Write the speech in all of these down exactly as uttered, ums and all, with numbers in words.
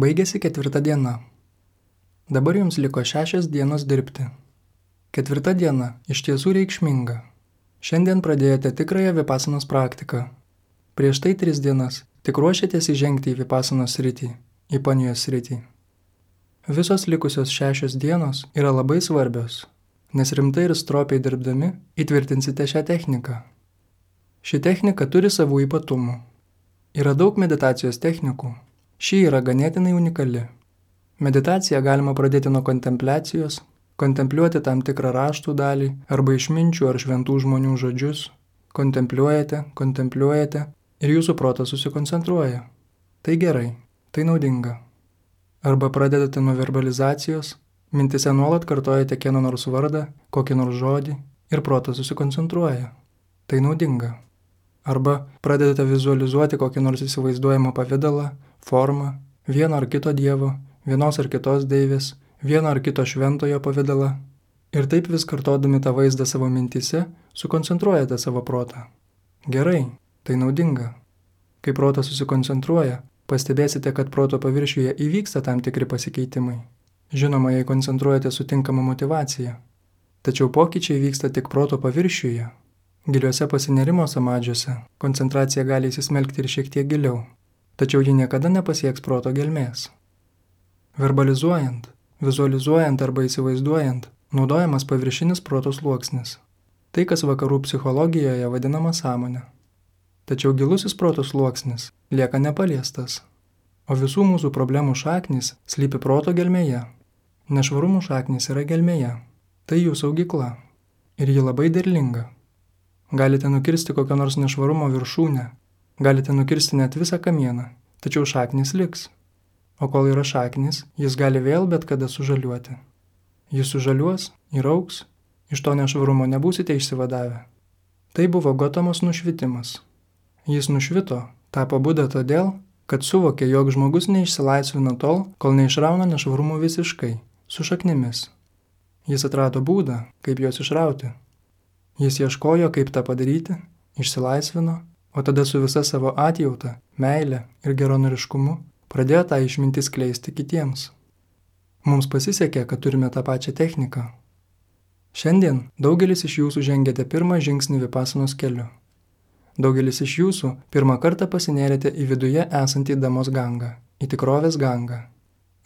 Baigėsi ketvirta diena. Dabar jums liko šešios dienos dirbti. Ketvirta diena iš tiesų reikšminga. Šiandien pradėjote tikrąją vipasanos praktiką. Prieš tai tris dienas tik ruošėtės įžengti į vipasanos sritį, į panijos sritį. Visos likusios šešios dienos yra labai svarbios, nes rimtai ir stropiai dirbdami įtvirtinsite šią techniką. Ši technika turi savų ypatumų. Yra daug meditacijos technikų. Ši yra ganėtinai unikali. Meditaciją galima pradėti nuo kontempliacijos, kontempliuoti tam tikrą raštų dalį arba išminčių ar šventų žmonių žodžius. Kontempliuojate, kontempliuojate ir jūsų protas susikoncentruoja. Tai gerai, tai naudinga. Arba pradedate nuo verbalizacijos, mintise nuolat kartojate kieno nors vardą, kokį nors žodį ir protas susikoncentruoja. Tai naudinga. Arba pradedate vizualizuoti kokį nors įsivaizduojamą pavidalą, formą, vieno ar kito dievo, vienos ar kitos deivės, vieno ar kito šventojo pavidalą. Ir taip vis kartodami tą vaizdą savo mintise, sukoncentruojate savo protą. Gerai, tai naudinga. Kai protas susikoncentruoja, pastebėsite, kad proto paviršiuje įvyksta tam tikri pasikeitimai. Žinoma, jei koncentruojate su tinkama motyvacija. Tačiau pokyčiai vyksta tik proto paviršiuje. Giliuose pasinerimo samadžiuose koncentracija gali įsismelkti ir šiek tiek giliau, tačiau ji niekada nepasieks proto gelmės. Verbalizuojant, vizualizuojant arba įsivaizduojant, naudojamas paviršinis proto sluoksnis. Tai, kas vakarų psichologijoje vadinama sąmonė. Tačiau gilusis proto sluoksnis lieka nepaliestas, o visų mūsų problemų šaknys slypi proto gelmėje. Nešvarumų šaknys yra gelmėje, tai jų saugykla ir ji labai derlinga. Galite nukirsti kokio nors nešvarumo viršūnę, galite nukirsti net visą kamieną, tačiau šaknys liks. O kol yra šaknys, jis gali vėl bet kada sužaliuoti. Jis sužaliuos ir augs, iš to nešvarumo nebūsite išsivadavę. Tai buvo Gotamos nušvitimas. Jis nušvito, tapo Buda todėl, kad suvokė, jog žmogus neišsilaisvina tol, kol neišrauna nešvarumų visiškai, su šaknimis. Jis atrado būdą, kaip juos išrauti. Jis ieškojo, kaip tą padaryti, išsilaisvino, o tada su visa savo atjauta, meile ir geranoriškumu pradėjo tą išmintį skleisti kitiems. Mums pasisekė, kad turime tą pačią techniką. Šiandien daugelis iš jūsų žengėte pirmą žingsnį vipasanos keliu. Daugelis iš jūsų pirmą kartą pasinėrėte į viduje esantį damos gangą, į tikrovės gangą.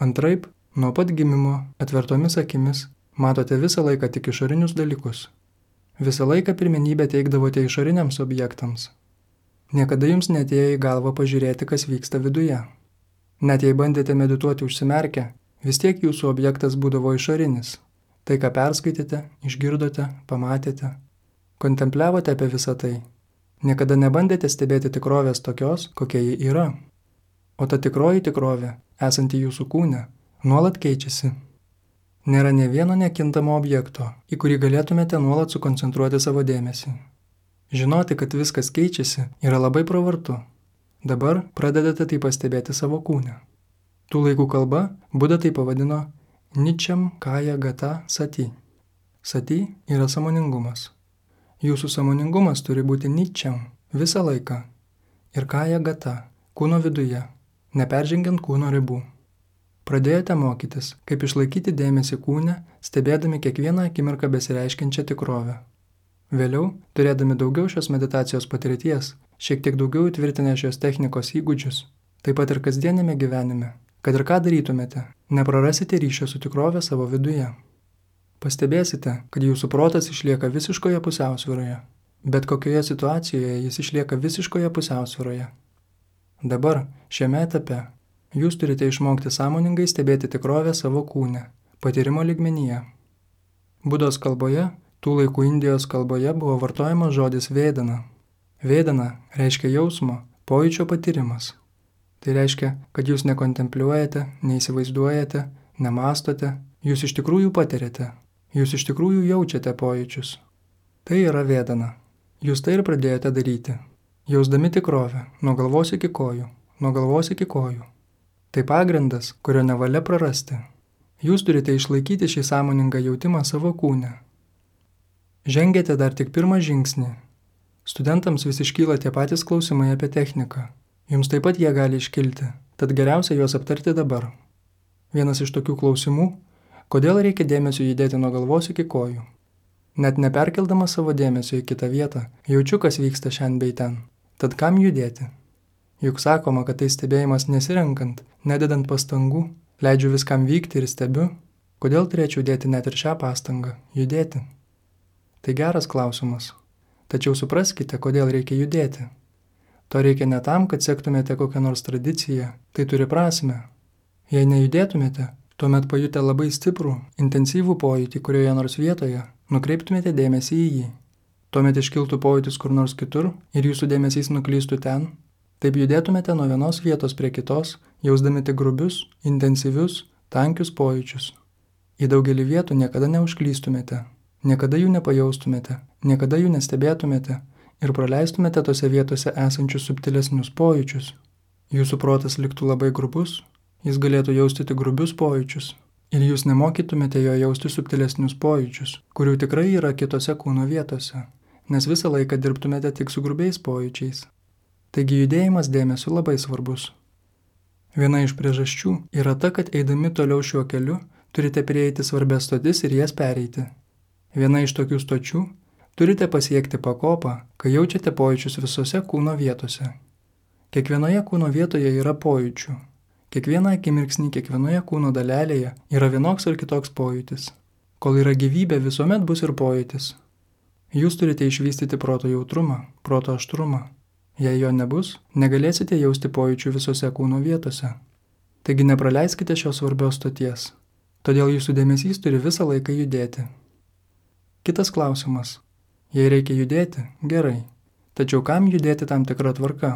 Antraip, nuo pat gimimo, atvertomis akimis, matote visą laiką tik išorinius dalykus. Visą laiką pirmenybę teikdavote išoriniams objektams. Niekada jums neatėjo į galvą pažiūrėti, kas vyksta viduje. Net jei bandėte medituoti užsimerkę, vis tiek jūsų objektas būdavo išorinis. Tai, ką perskaitėte, išgirdote, pamatėte. Kontempliavote apie visą tai. Niekada nebandėte stebėti tikrovės tokios, kokia ji yra. O ta tikroji tikrovė, esanti jūsų kūne, nuolat keičiasi. Nėra ne vieno nekintamo objekto, į kurį galėtumėte nuolat sukoncentruoti savo dėmesį. Žinoti, kad viskas keičiasi, yra labai pravartu. Dabar pradedate tai pastebėti savo kūne. Tų laikų kalba Buda tai pavadino Ničam Kaja Gata Sati. Sati yra sąmoningumas. Jūsų sąmoningumas turi būti ničiam visą laiką. Ir Kaja Gata, kūno viduje, neperžengiant kūno ribų. Pradėjote mokytis, kaip išlaikyti dėmesį kūne, stebėdami kiekvieną akimirką besireiškiančią tikrovę. Vėliau, turėdami daugiau šios meditacijos patirties, šiek tiek daugiau įtvirtinę šios technikos įgūdžius, taip pat ir kasdienėme gyvenime, kad ir ką darytumėte, neprarasite ryšio su tikrove savo viduje. Pastebėsite, kad jūsų protas išlieka visiškoje pusiausvyroje, bet kokioje situacijoje jis išlieka visiškoje pusiausvyroje. Dabar, šiame etape, jūs turite išmokti sąmoningai stebėti tikrovę savo kūne, patyrimo lygmenyje. Budos kalboje, tų laikų Indijos kalboje buvo vartojamas žodis vedana. Vedana reiškia jausmo, pojūčio patyrimas. Tai reiškia, kad jūs nekontempliuojate, neįsivaizduojate, nemastote, jūs iš tikrųjų patiriate, jūs iš tikrųjų jaučiate pojūčius. Tai yra vedana. Jūs tai ir pradėjote daryti, jausdami tikrovę, nuo galvos iki kojų, nuo galvos iki kojų. Tai pagrindas, kurio nevalia prarasti. Jūs turite išlaikyti šį sąmoningą jautimą savo kūne. Žengėte dar tik pirmą žingsnį. Studentams vis iškyla tie patys klausimai apie techniką. Jums taip pat jie gali iškilti, tad geriausia juos aptarti dabar. Vienas iš tokių klausimų – kodėl reikia dėmesio judėti nuo galvos iki kojų? Net neperkeldamas savo dėmesio į kitą vietą, jaučiu, kas vyksta šiandien bei ten. Tad kam judėti? Juk sakoma, kad tai stebėjimas nesirenkant, nededant pastangų, leidžiu viskam vykti ir stebiu. Kodėl turėčiau dėti net ir šią pastangą – judėti? Tai geras klausimas. Tačiau supraskite, kodėl reikia judėti. To reikia ne tam, kad sektumėte kokią nors tradiciją, tai turi prasmę. Jei nejudėtumėte, tuomet pajutę labai stiprų, intensyvų pojūtį kurioje nors vietoje, nukreiptumėte dėmesį į jį. Tuomet iškiltų pojūtis kur nors kitur ir jūsų dėmesys nuklystų ten. Taip judėtumėte nuo vienos vietos prie kitos, jausdami tik grubius, intensyvius, tankius pojūčius. Į daugelį vietų niekada neužklystumėte, niekada jų nepajaustumėte, niekada jų nestebėtumėte ir praleistumėte tose vietose esančius subtilesnius pojūčius. Jūsų protas liktų labai grubus, jis galėtų jausti tik grubius pojūčius ir jūs nemokytumėte jo jausti subtilesnius pojūčius, kurių tikrai yra kitose kūno vietose, nes visą laiką dirbtumėte tik su grubiais pojūčiais. Taigi judėjimas dėmesiu labai svarbus. Viena iš priežasčių yra ta, kad eidami toliau šiuo keliu turite prieiti svarbias stotis ir jas pereiti. Viena iš tokių stočių – turite pasiekti pakopą, kai jaučiate pojūčius visose kūno vietose. Kiekvienoje kūno vietoje yra pojūčių. Kiekvieną akimirksnį, kiekvienoje kūno dalelėje yra vienoks ar kitoks pojūtis. Kol yra gyvybė, visuomet bus ir pojūtis. Jūs turite išvystyti proto jautrumą, proto aštrumą. Jei jo nebus, negalėsite jausti pojūčių visose kūno vietose. Taigi nepraleiskite šios svarbios stoties. Todėl jūsų dėmesys turi visą laiką judėti. Kitas klausimas. Jei reikia judėti, gerai. Tačiau kam judėti tam tikrą tvarką?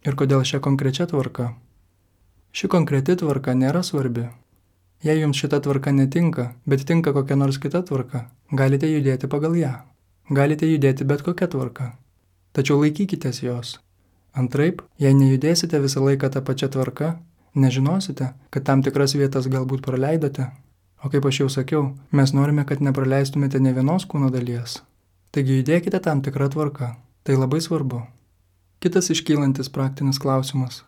Ir kodėl šią konkrečią tvarką? Ši konkreti tvarka nėra svarbi. Jei jums šita tvarka netinka, bet tinka kokia nors kita tvarka, galite judėti pagal ją. Galite judėti bet kokia tvarka. Tačiau laikykitės jos. Antraip, jei nejudėsite visą laiką tą pačią tvarką, nežinosite, kad tam tikras vietas galbūt praleidote. O kaip aš jau sakiau, mes norime, kad nepraleistumėte ne vienos kūno dalies. Taigi judėkite tam tikrą tvarką. Tai labai svarbu. Kitas iškylantis praktinis klausimas.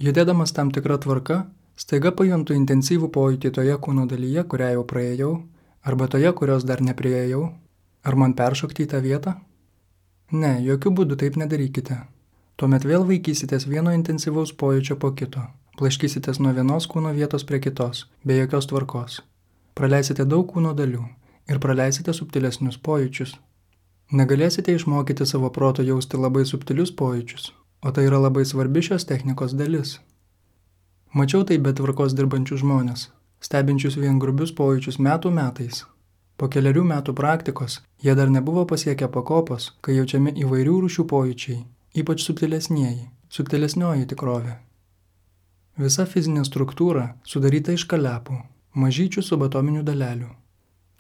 Judėdamas tam tikrą tvarką, staiga pajuntu intensyvų pojūtį toje kūno dalyje, kurią jau praėjau, arba toje, kurios dar nepriejau. Ar man peršokti į tą vietą? Ne, jokių būdų taip nedarykite. Tuomet vėl vaikysitės vieno intensyvaus pojūčio po kito, plaškysitės nuo vienos kūno vietos prie kitos, be jokios tvarkos. Praleisite daug kūno dalių ir praleisite subtilesnius pojūčius. Negalėsite išmokyti savo proto jausti labai subtilius pojūčius, o tai yra labai svarbi šios technikos dalis. Mačiau tai be tvarkos dirbančių žmonės, stebinčius vien grubius pojūčius metų metais. Po keliarių metų praktikos jie dar nebuvo pasiekę pakopos, kai jaučiami įvairių rūšių pojūčiai, ypač subtilesnieji, subtilesnioji tikrovė. Visa fizinė struktūra sudaryta iš kalepų, mažyčių subatominių dalelių.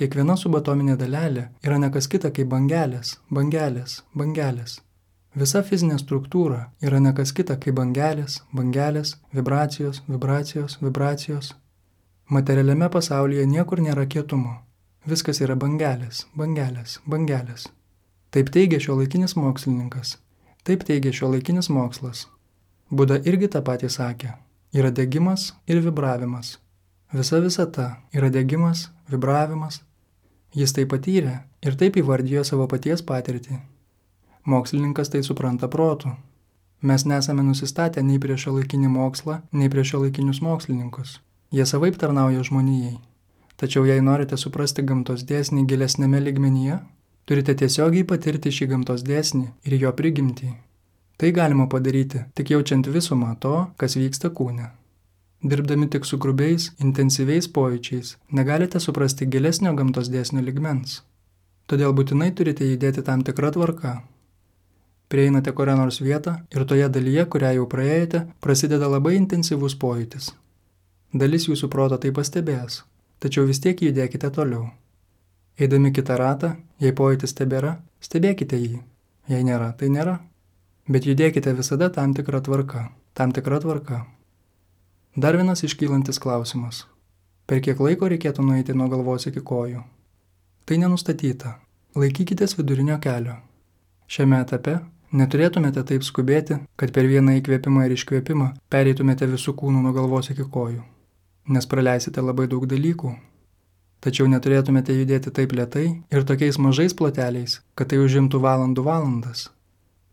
Kiekviena subatominė dalelė yra ne kas kita kaip bangelės, bangelės, bangelės. Visa fizinė struktūra yra ne kas kita kaip bangelės, bangelės, vibracijos, vibracijos, vibracijos. Materialiame pasaulyje niekur nėra kietumo. Viskas yra bangelės, bangelės, bangelės. Taip teigia šiuolaikinis mokslininkas. Taip teigia šiuolaikinis mokslas. Buda irgi tą patį sakė. Yra degimas ir vibravimas. Visa visata yra degimas, vibravimas. Jis tai patyrė ir taip įvardijo savo paties patirtį. Mokslininkas tai supranta protu. Mes nesame nusistatę nei prieš šiuolaikinį mokslą, nei prieš šiuolaikinius mokslininkus. Jie savaip tarnauja žmonijai. Tačiau jei norite suprasti gamtos dėsnį gilesnėme lygmenyje, turite tiesiogiai patirti šį gamtos dėsnį ir jo prigimtį. Tai galima padaryti, tik jaučiant visumą to, kas vyksta kūne. Dirbdami tik su grubiais, intensyviais pojūčiais, negalite suprasti gilesnio gamtos dėsnio lygmens. Todėl būtinai turite judėti tam tikrą tvarką. Prieinate kurią nors vietą ir toje dalyje, kurią jau praėjote, prasideda labai intensyvus pojūtis. Dalis jūsų proto tai pastebės, tačiau vis tiek judėkite toliau. Eidami kitą ratą, jei pojūtis tebėra, stebėkite jį. Jei nėra, tai nėra. Bet judėkite visada tam tikrą tvarką, tam tikrą tvarką. Dar vienas iškylantis klausimas. Per kiek laiko reikėtų nueiti nuo galvos iki kojų? Tai nenustatyta. Laikykitės vidurinio kelio. Šiame etape Neturėtumėte taip skubėti, kad per vieną įkvėpimą ir iškvėpimą pereitumėte visų kūnų nuo galvos iki kojų, nes praleisite labai daug dalykų. Tačiau neturėtumėte judėti taip lėtai ir tokiais mažais ploteliais, kad tai užimtų valandų valandas.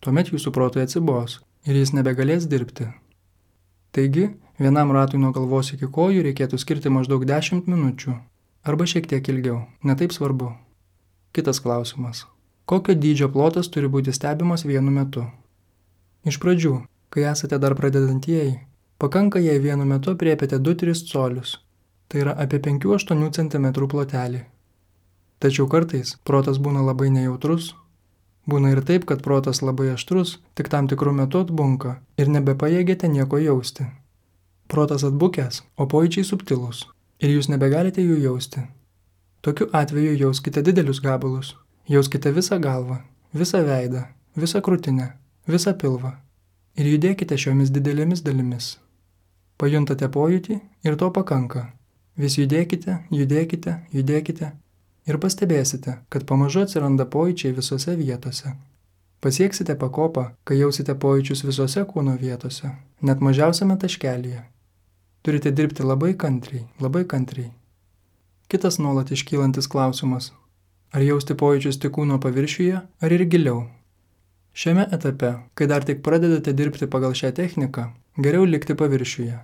Tuomet jūsų protui atsibos ir jis nebegalės dirbti. Taigi, vienam ratui nuo galvos iki kojų reikėtų skirti maždaug dešimt minučių, arba šiek tiek ilgiau, netaip svarbu. Kitas klausimas. Kokio dydžio plotas turi būti stebimas vienu metu? Iš pradžių, kai esate dar pradedantieji, pakanka jei vienu metu aprėpiate du tris colius, tai yra apie penkių aštuonių centimetrų plotelį. Tačiau kartais protas būna labai nejautrus, būna ir taip, kad protas labai aštrus, tik tam tikrų metų atbunka ir nebepajėgėte nieko jausti. Protas atbukęs, o pojūčiai subtilūs ir jūs nebegalite jų jausti. Tokiu atveju jauskite didelius gabalus. Jauskite visą galvą, visą veidą, visą krūtinę, visą pilvą ir judėkite šiomis didelėmis dalimis. Pajuntate pojūtį ir to pakanka. Vis judėkite, judėkite, judėkite ir pastebėsite, kad pamažu atsiranda pojūčiai visose vietose. Pasieksite pakopą, kai jausite pojūčius visose kūno vietose, net mažiausiame taškelyje. Turite dirbti labai kantriai, labai kantriai. Kitas nuolat iškylantis klausimas. Ar jausti pojūčius tik kūno paviršiuje, ar ir giliau? Šiame etape, kai dar tik pradedate dirbti pagal šią techniką, geriau likti paviršiuje.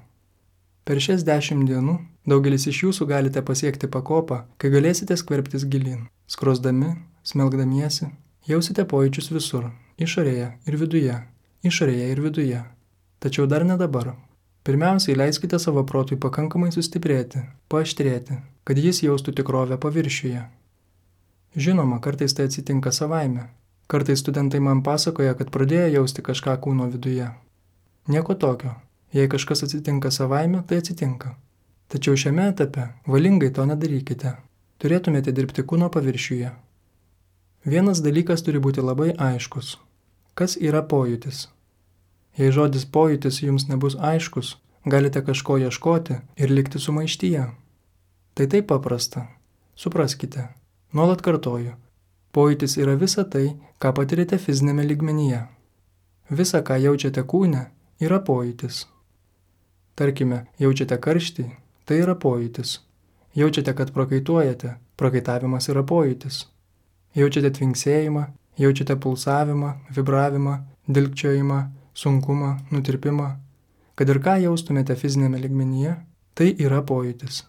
Per šias dešimt dienų daugelis iš jūsų galite pasiekti pakopą, kai galėsite skverbtis gilyn. Skrosdami, smelgdamiesi, jausite pojūčius visur, išorėje ir viduje, išorėje ir viduje. Tačiau dar ne dabar. Pirmiausiai leiskite savo protui pakankamai sustiprėti, paaštrėti, kad jis jaustų tikrovę paviršiuje. Žinoma, kartais tai atsitinka savaime. Kartais studentai man pasakoja, kad pradėjo jausti kažką kūno viduje. Nieko tokio. Jei kažkas atsitinka savaime, tai atsitinka. Tačiau šiame etape valingai to nedarykite. Turėtumėte dirbti kūno paviršiuje. Vienas dalykas turi būti labai aiškus. Kas yra pojūtis? Jei žodis pojūtis jums nebus aiškus, galite kažko ieškoti ir likti sumaištyje. Tai taip paprasta. Supraskite. Nuolat kartoju, pojūtis yra visa tai, ką patirite fizinėme lygmenyje. Visa, ką jaučiate kūne, yra pojūtis. Tarkime, jaučiate karštį, tai yra pojūtis. Jaučiate, kad prakaituojate, prakaitavimas yra pojūtis. Jaučiate tvinksėjimą, jaučiate pulsavimą, vibravimą, dilgčiojimą, sunkumą, nutirpimą. Kad ir ką jaustumėte fizinėme lygmenyje, tai yra pojūtis.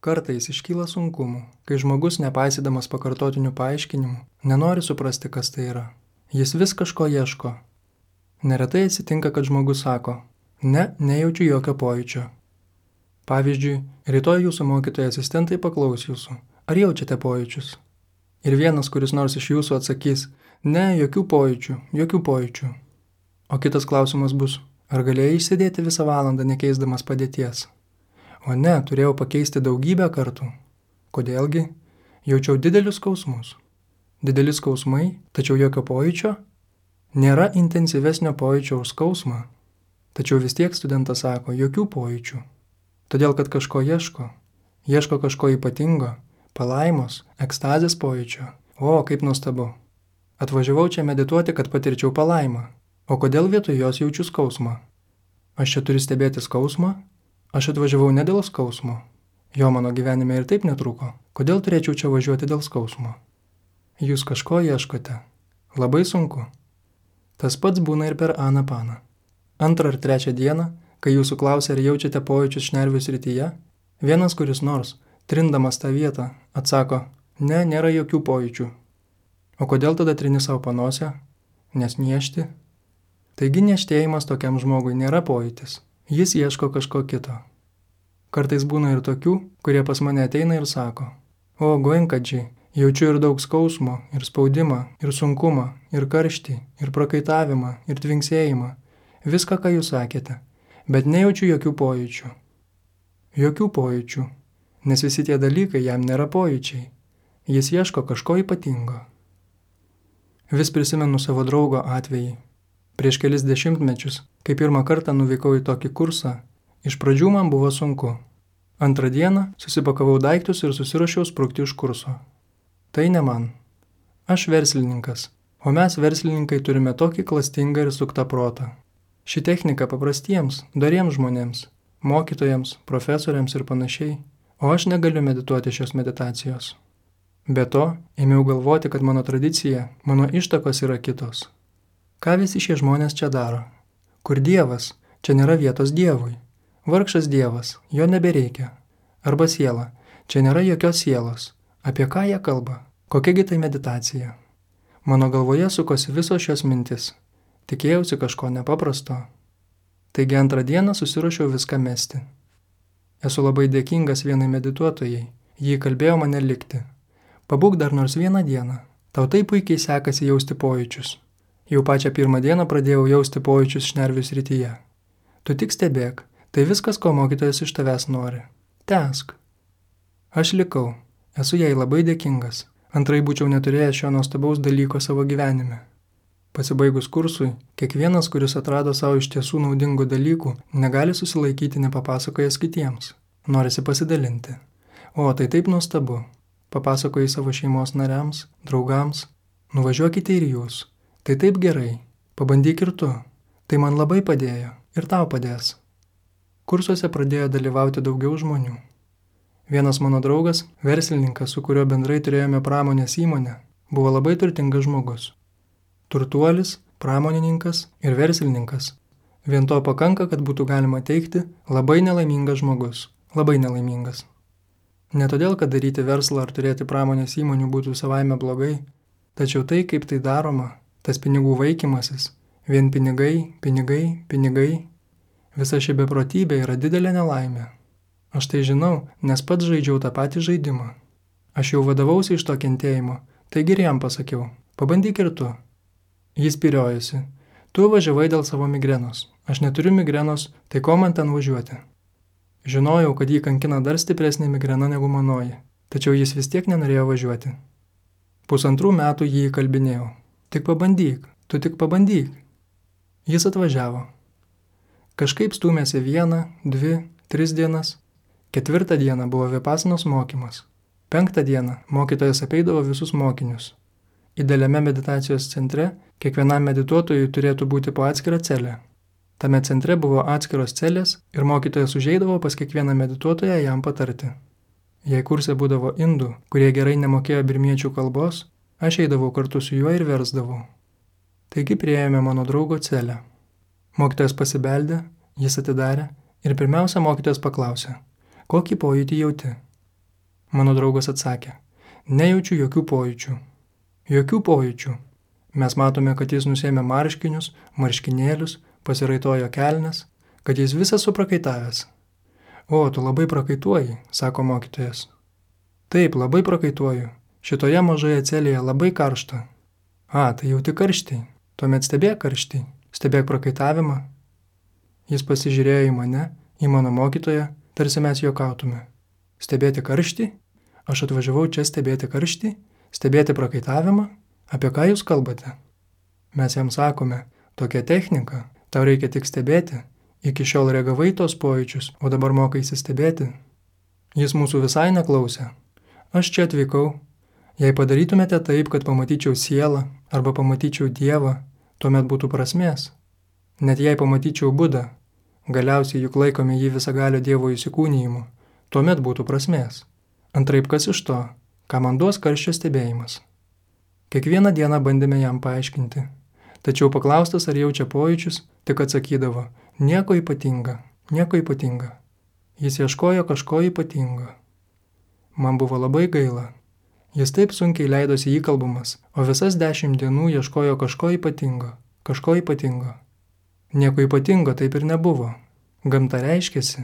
Kartais iškyla sunkumų, kai žmogus, nepaisydamas pakartotinių paaiškinimų, nenori suprasti, kas tai yra. Jis vis kažko ieško. Neretai atsitinka, kad žmogus sako, ne, nejaučiu jokio pojūčio. Pavyzdžiui, rytoj jūsų mokytojai asistentai paklaus jūsų, ar jaučiate pojūčius? Ir vienas, kuris nors iš jūsų atsakys, ne, jokių pojūčių, jokių pojūčių. O kitas klausimas bus, ar galėjai išsėdėti visą valandą nekeisdamas padėties? O ne, turėjau pakeisti daugybę kartų. Kodėlgi? Jaučiau didelius skausmus. Dideli skausmai, tačiau jokio pojūčio? Nėra intensyvesnio pojūčio už skausmą. Tačiau vis tiek studentas sako, jokių pojūčių. Todėl, kad kažko ieško. Ieško kažko ypatingo, palaimos, ekstazės pojūčio. O, kaip nuostabu. Atvažiavau čia medituoti, kad patirčiau palaimą. O kodėl vietoj jos jaučiu skausmą? Aš čia turiu stebėti skausmą? Aš atvažiavau ne dėl skausmo. Jo mano gyvenime ir taip netruko. Kodėl turėčiau čia važiuoti dėl skausmo? Jūs kažko ieškote. Labai sunku. Tas pats būna ir per anapaną. Antrą ar trečią dieną, kai jūsų klausia, ar jaučiate pojūčius šnervių srityje, vienas kuris nors, trindamas tą vietą, atsako, ne, nėra jokių pojūčių. O kodėl tada trini savo panosę? Nes niešti? Taigi nieštėjimas tokiam žmogui nėra pojūtis. Jis ieško kažko kito. Kartais būna ir tokių, kurie pas mane ateina ir sako, o, goinkadžiai, jaučiu ir daug skausmo, ir spaudimą, ir sunkumą, ir karštį, ir prakaitavimą, ir tvinksėjimą, viską, ką jūs sakėte, bet nejaučiu jokių pojūčių. Jokių pojūčių, nes visi tie dalykai jam nėra pojūčiai. Jis ieško kažko ypatingo. Vis prisimenu savo draugo atvejį. Prieš kelis dešimtmečius, kai pirmą kartą nuvykau į tokį kursą, iš pradžių man buvo sunku. Antrą dieną susipakavau daiktus ir susiruošiau sprukti iš kurso. Tai ne man. Aš verslininkas. O mes verslininkai turime tokį klastingą ir suktą protą. Ši technika paprastiems, doriems žmonėms, mokytojams, profesoriams ir panašiai, o aš negaliu medituoti šios meditacijos. Be to, ėmiau galvoti, kad mano tradicija, mano ištakos yra kitos. Ką visi šie žmonės čia daro? Kur Dievas? Čia nėra vietos Dievui. Vargšas Dievas, jo nebereikia. Arba siela, čia nėra jokios sielos. Apie ką jie kalba? Kokiagi tai meditacija? Mano galvoje sukosi visos šios mintis. Tikėjausi kažko nepaprasto. Taigi antrą dieną susiruošiau viską mesti. Esu labai dėkingas vienai medituotojai. Ji kalbėjo mane likti. Pabūk dar nors vieną dieną. Tau taip puikiai sekasi jausti pojūčius. Jau pačią pirmą dieną pradėjau jausti pojūčius šnervių srityje. Tu tik stebėk. Tai viskas, ko mokytojas iš tavęs nori. Tęsk. Aš likau. Esu jai labai dėkingas. Antrai būčiau neturėjęs šio nuostabaus dalyko savo gyvenime. Pasibaigus kursui, kiekvienas, kuris atrado savo iš tiesų naudingų dalykų, negali susilaikyti nepapasakojęs kitiems. Norisi pasidalinti. O, tai taip nuostabu. Papasakoji savo šeimos nariams, draugams. Nuvažiuokite ir jūs. Tai taip gerai. Pabandyk ir tu. Tai man labai padėjo. Ir tau padės. Kursuose pradėjo dalyvauti daugiau žmonių. Vienas mano draugas, verslininkas, su kuriuo bendrai turėjome pramonės įmonę, buvo labai turtingas žmogus. Turtuolis, pramonininkas ir verslininkas. Vien to pakanka, kad būtų galima teikti labai nelaimingas žmogus. Labai nelaimingas. Ne todėl, kad daryti verslą ar turėti pramonės įmonių būtų savaime blogai, tačiau tai, kaip tai daroma, tas pinigų vaikymasis, vien pinigai, pinigai, pinigai, visa ši beprotybė yra didelė nelaimė. Aš tai žinau, nes pats žaidžiau tą patį žaidimą. Aš jau vadovausi iš to kentėjimo, taigi ir jam pasakiau, pabandyk ir tu. Jis piriojosi. Tu važiavai dėl savo migrenos. Aš neturiu migrenos, tai ko man ten važiuoti? Žinojau, kad jį kankina dar stipresnė migrena negu manoji, tačiau jis vis tiek nenorėjo važiuoti. Pusantrų metų jį įkalbinėjau. Tik pabandyk, tu tik pabandyk. Jis atvažiavo. Kažkaip stūmėsi vieną, dvi, tris dienas. Ketvirtą dieną buvo vipasanos mokymas. Penktą dieną mokytojas apeidavo visus mokinius. Idealiame meditacijos centre kiekvienam medituotojui turėtų būti po atskirą celę. Tame centre buvo atskiros celės ir mokytojas užeidavo pas kiekvieną medituotoją jam patarti. Jei kurse būdavo indų, kurie gerai nemokėjo birmiečių kalbos, aš eidavau kartu su juo ir versdavau. Taigi priėjome mano draugo celę. Mokytojas pasibeldė, jis atidarė ir pirmiausia mokytojas paklausė, kokį pojūtį jauti? Mano draugas atsakė, nejaučiu jokių pojūčių. Jokių pojūčių. Mes matome, kad jis nusėmė marškinius, marškinėlius, pasiraitojo kelnes, kad jis visas suprakaitavęs. O, tu labai prakaituoji, sako mokytojas. Taip, labai prakaituoju. Šitoje mažoje celėje labai karšta. A, tai jauti karštį. Tuomet stebėk karštį. Stebėk prakaitavimą. Jis pasižiūrėjo į mane, į mano mokytoją, tarsi mes juokautume. Stebėti karštį? Aš atvažiavau čia stebėti karštį? Stebėti prakaitavimą? Apie ką jūs kalbate? Mes jam sakome, tokia technika, tau reikia tik stebėti. Iki šiol reagavai tos pojūčius, o dabar mokaisi stebėti. Jis mūsų visai neklausė. Aš čia atvykau. Jei padarytumėte taip, kad pamatyčiau sielą arba pamatyčiau Dievą, tuomet būtų prasmės. Net jei pamatyčiau Budą, galiausiai juk laikome jį visagalio Dievo įsikūnijimu, tuomet būtų prasmės. Antraip kas iš to, ką man duos karščio stebėjimas. Kiekvieną dieną bandėme jam paaiškinti, tačiau paklaustas ar jaučia pojūčius, tik atsakydavo, nieko ypatinga, nieko ypatinga. Jis ieškojo kažko ypatingo. Man buvo labai gaila. Jis taip sunkiai leidosi įkalbamas, o visas dešimt dienų ieškojo kažko ypatingo, kažko ypatingo. Nieko ypatingo taip ir nebuvo. Gamta reiškėsi,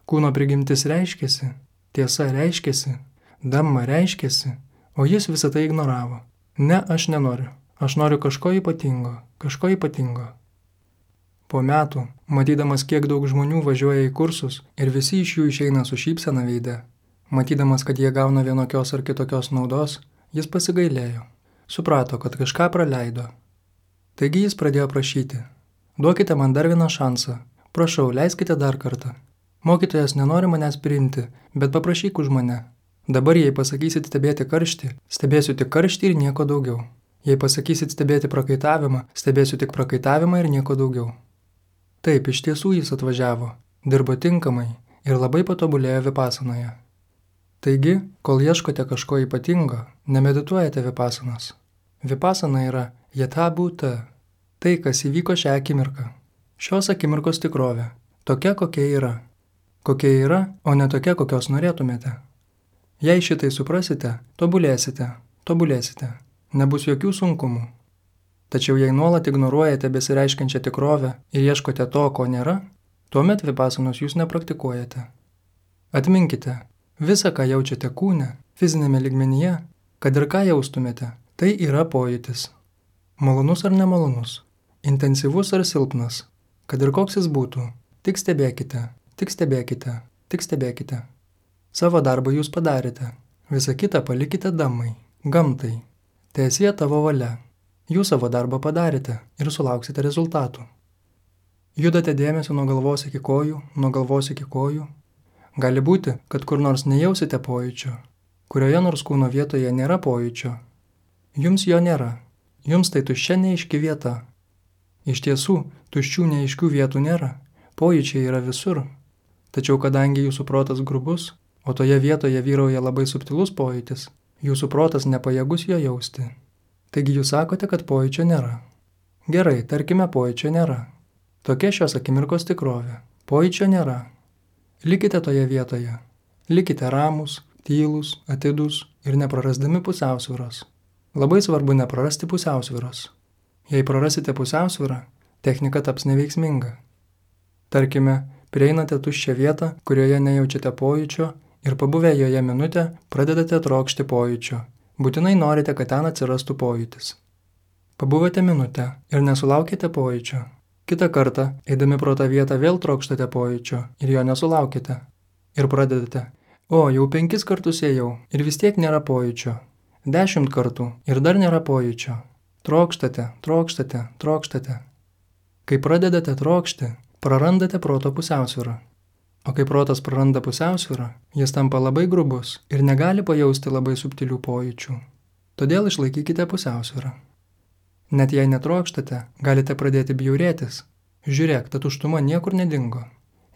kūno prigimtis reiškėsi, tiesa reiškėsi, dhamma reiškėsi, o jis visą tai ignoravo. Ne, aš nenoriu. Aš noriu kažko ypatingo, kažko ypatingo. Po metų, matydamas, kiek daug žmonių važiuoja į kursus ir visi iš jų išeina su šypsena veide, matydamas, kad jie gauna vienokios ar kitokios naudos, jis pasigailėjo. Suprato, kad kažką praleido. Taigi jis pradėjo prašyti. Duokite man dar vieną šansą. Prašau, leiskite dar kartą. Mokytojas nenori manęs priimti, bet paprašyk už mane. Dabar jei pasakysit stebėti karštį, stebėsiu tik karštį ir nieko daugiau. Jei pasakysit stebėti prakaitavimą, stebėsiu tik prakaitavimą ir nieko daugiau. Taip, iš tiesų jis atvažiavo, dirbo tinkamai ir labai patobulėjo vipasanoje. Taigi, kol ieškote kažko ypatingo, nemedituojate vipasanos. Vipasana yra jatha bhuta, tai, kas įvyko šią akimirką. Šios akimirkos tikrovė, tokia kokia yra. Kokia yra, o ne tokia, kokios norėtumėte. Jei šitai suprasite, tobulėsite, tobulėsite, nebus jokių sunkumų. Tačiau jei nuolat ignoruojate besireiškiančią tikrovę ir ieškote to, ko nėra, tuomet vipasanos jūs nepraktikuojate. Atminkite, visa, ką jaučiate kūne, fizinėme lygmenyje, kad ir ką jaustumėte, tai yra pojūtis. Malonus ar nemalonus, intensyvus ar silpnas, kad ir koks jis būtų, tik stebėkite, tik stebėkite, tik stebėkite. Savo darbą jūs padarėte, visą kitą palikite damai, gamtai. Teesie tavo valia. Jūs savo darbą padarėte ir sulauksite rezultatų. Judate dėmesį nuo galvos iki kojų, nuo galvos iki kojų. Gali būti, kad kur nors nejausite pojūčio, kurioje nors kūno vietoje nėra pojūčio. Jums jo nėra. Jums tai tuščia neaiški vieta. Iš tiesų, tuščių neaiškių vietų nėra. Pojūčiai yra visur. Tačiau kadangi jūsų protas grubus, o toje vietoje vyrauja labai subtilus pojūtis, jūsų protas nepajėgus jo jausti. Taigi jūs sakote, kad pojūčio nėra. Gerai, tarkime, pojūčio nėra. Tokia šios akimirkos tikrovė. Pojūčio nėra. Likite toje vietoje. Likite ramūs, tylūs, atidūs ir neprarasdami pusiausvyros. Labai svarbu neprarasti pusiausvyros. Jei prarasite pusiausvyrą, technika taps neveiksminga. Tarkime, prieinate tuščią vietą, kurioje nejaučiate pojūčio ir pabuvę joje minutę pradedate trokšti pojūčio. Būtinai norite, kad ten atsirastų pojūtis. Pabuvote minutę ir nesulaukėte pojūčio. Kitą kartą, eidami pro tą vietą, vėl trokštate pojūčio ir jo nesulaukite. Ir pradedate. O, jau penkis kartus ėjau ir vis tiek nėra pojūčio. Dešimt kartų ir dar nėra pojūčio. Trokštate, trokštate, trokštate. Kai pradedate trokšti, prarandate proto pusiausvyrą. O kai protas praranda pusiausvyrą, jis tampa labai grubus ir negali pajausti labai subtilių pojūčių. Todėl išlaikykite pusiausvyrą. Net jei netrokštate, galite pradėti bjaurėtis. Žiūrėk, ta tuštuma niekur nedingo.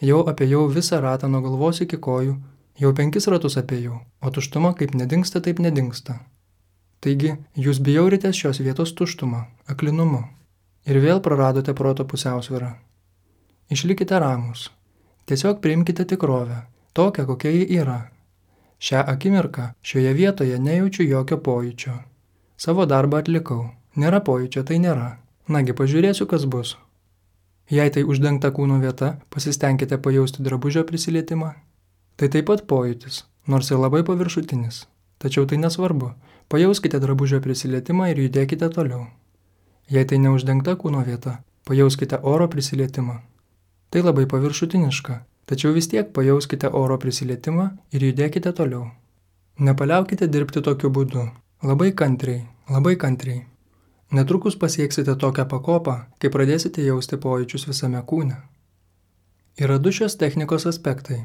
Jau apėjau visą ratą nuo galvos iki kojų, jau penkis ratus apėjau, o tuštuma kaip nedingsta, taip nedingsta. Taigi, jūs bjauritės šios vietos tuštumą, aklinumu ir vėl praradote proto pusiausvyrą. Išlikite ramūs. Tiesiog priimkite tikrovę, tokią, kokia ji yra. Šią akimirką, šioje vietoje nejaučiu jokio pojūčio. Savo darbą atlikau. Nėra pojūčio, tai nėra. Nagi, pažiūrėsiu, kas bus. Jei tai uždengta kūno vieta, pasistengkite pajausti drabužio prisilietimą. Tai taip pat pojūtis, nors ir labai paviršutinis. Tačiau tai nesvarbu. Pajauskite drabužio prisilietimą ir judėkite toliau. Jei tai neuždengta kūno vieta, pajauskite oro prisilietimą. Tai labai paviršutiniška, tačiau vis tiek pajauskite oro prisilietimą ir judėkite toliau. Nepaliaukite dirbti tokiu būdu. Labai kantriai, labai kantriai. Netrukus pasieksite tokią pakopą, kai pradėsite jausti pojūčius visame kūne. Yra du šios technikos aspektai.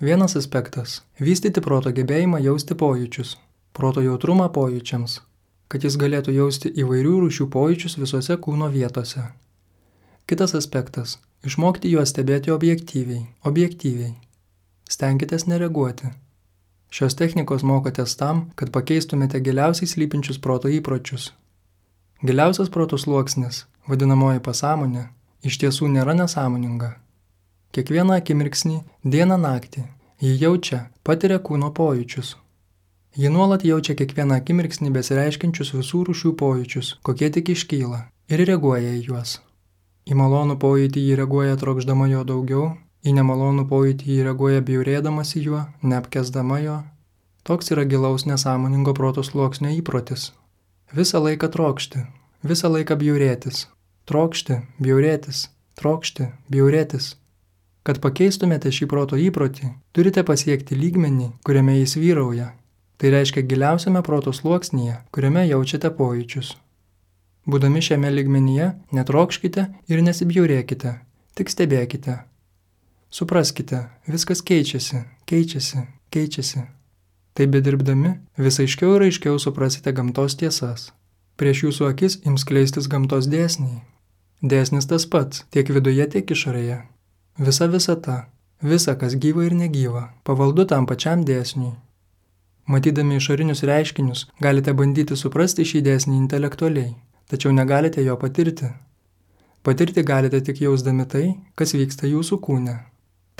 Vienas aspektas – vystyti proto gebėjimą jausti pojūčius, proto jautrumą pojūčiams, kad jis galėtų jausti įvairių rūšių pojūčius visose kūno vietose. Kitas aspektas – išmokti juos stebėti objektyviai, objektyviai. Stenkitės nereaguoti. Šios technikos mokotės tam, kad pakeistumėte giliausiai slypinčius proto įpročius. Giliausias proto sluoksnis, vadinamoji pasąmonė, iš tiesų nėra nesąmoninga. Kiekvieną akimirksnį, dieną naktį, ji jaučia, patiria kūno pojūčius. Ji nuolat jaučia kiekvieną akimirksnį besireiškiančius visų rūšių pojūčius, kokie tik iškyla, ir reaguoja į juos. Į malonų pojūtį jį reaguoja trokšdama jo daugiau, į nemalonų pojūtį jį reaguoja bjaurėdamas į juo, neapkęsdama jo. Toks yra gilaus nesąmoningo proto sluoksnio įprotis. Visą laiką trokšti, visą laiką bjaurėtis, trokšti, bjaurėtis, trokšti, bjaurėtis. Kad pakeistumėte šį proto įprotį, turite pasiekti lygmenį, kuriame jis vyrauja. Tai reiškia giliausiame proto sluoksnyje, kuriame jaučiate pojūčius. Būdami šiame lygmenyje, netrokškite ir nesibjaurėkite, tik stebėkite. Supraskite, viskas keičiasi, keičiasi, keičiasi. Taip bedirbdami, vis aiškiau ir aiškiau suprasite gamtos tiesas. Prieš jūsų akis ims skleistis gamtos dėsniai. Dėsnis tas pats, tiek viduje, tiek išorėje. Visa visata, visa, kas gyva ir negyva, pavaldu tam pačiam dėsniui. Matydami išorinius reiškinius, galite bandyti suprasti šį dėsnį intelektualiai, tačiau negalite jo patirti. Patirti galite tik jausdami tai, kas vyksta jūsų kūne.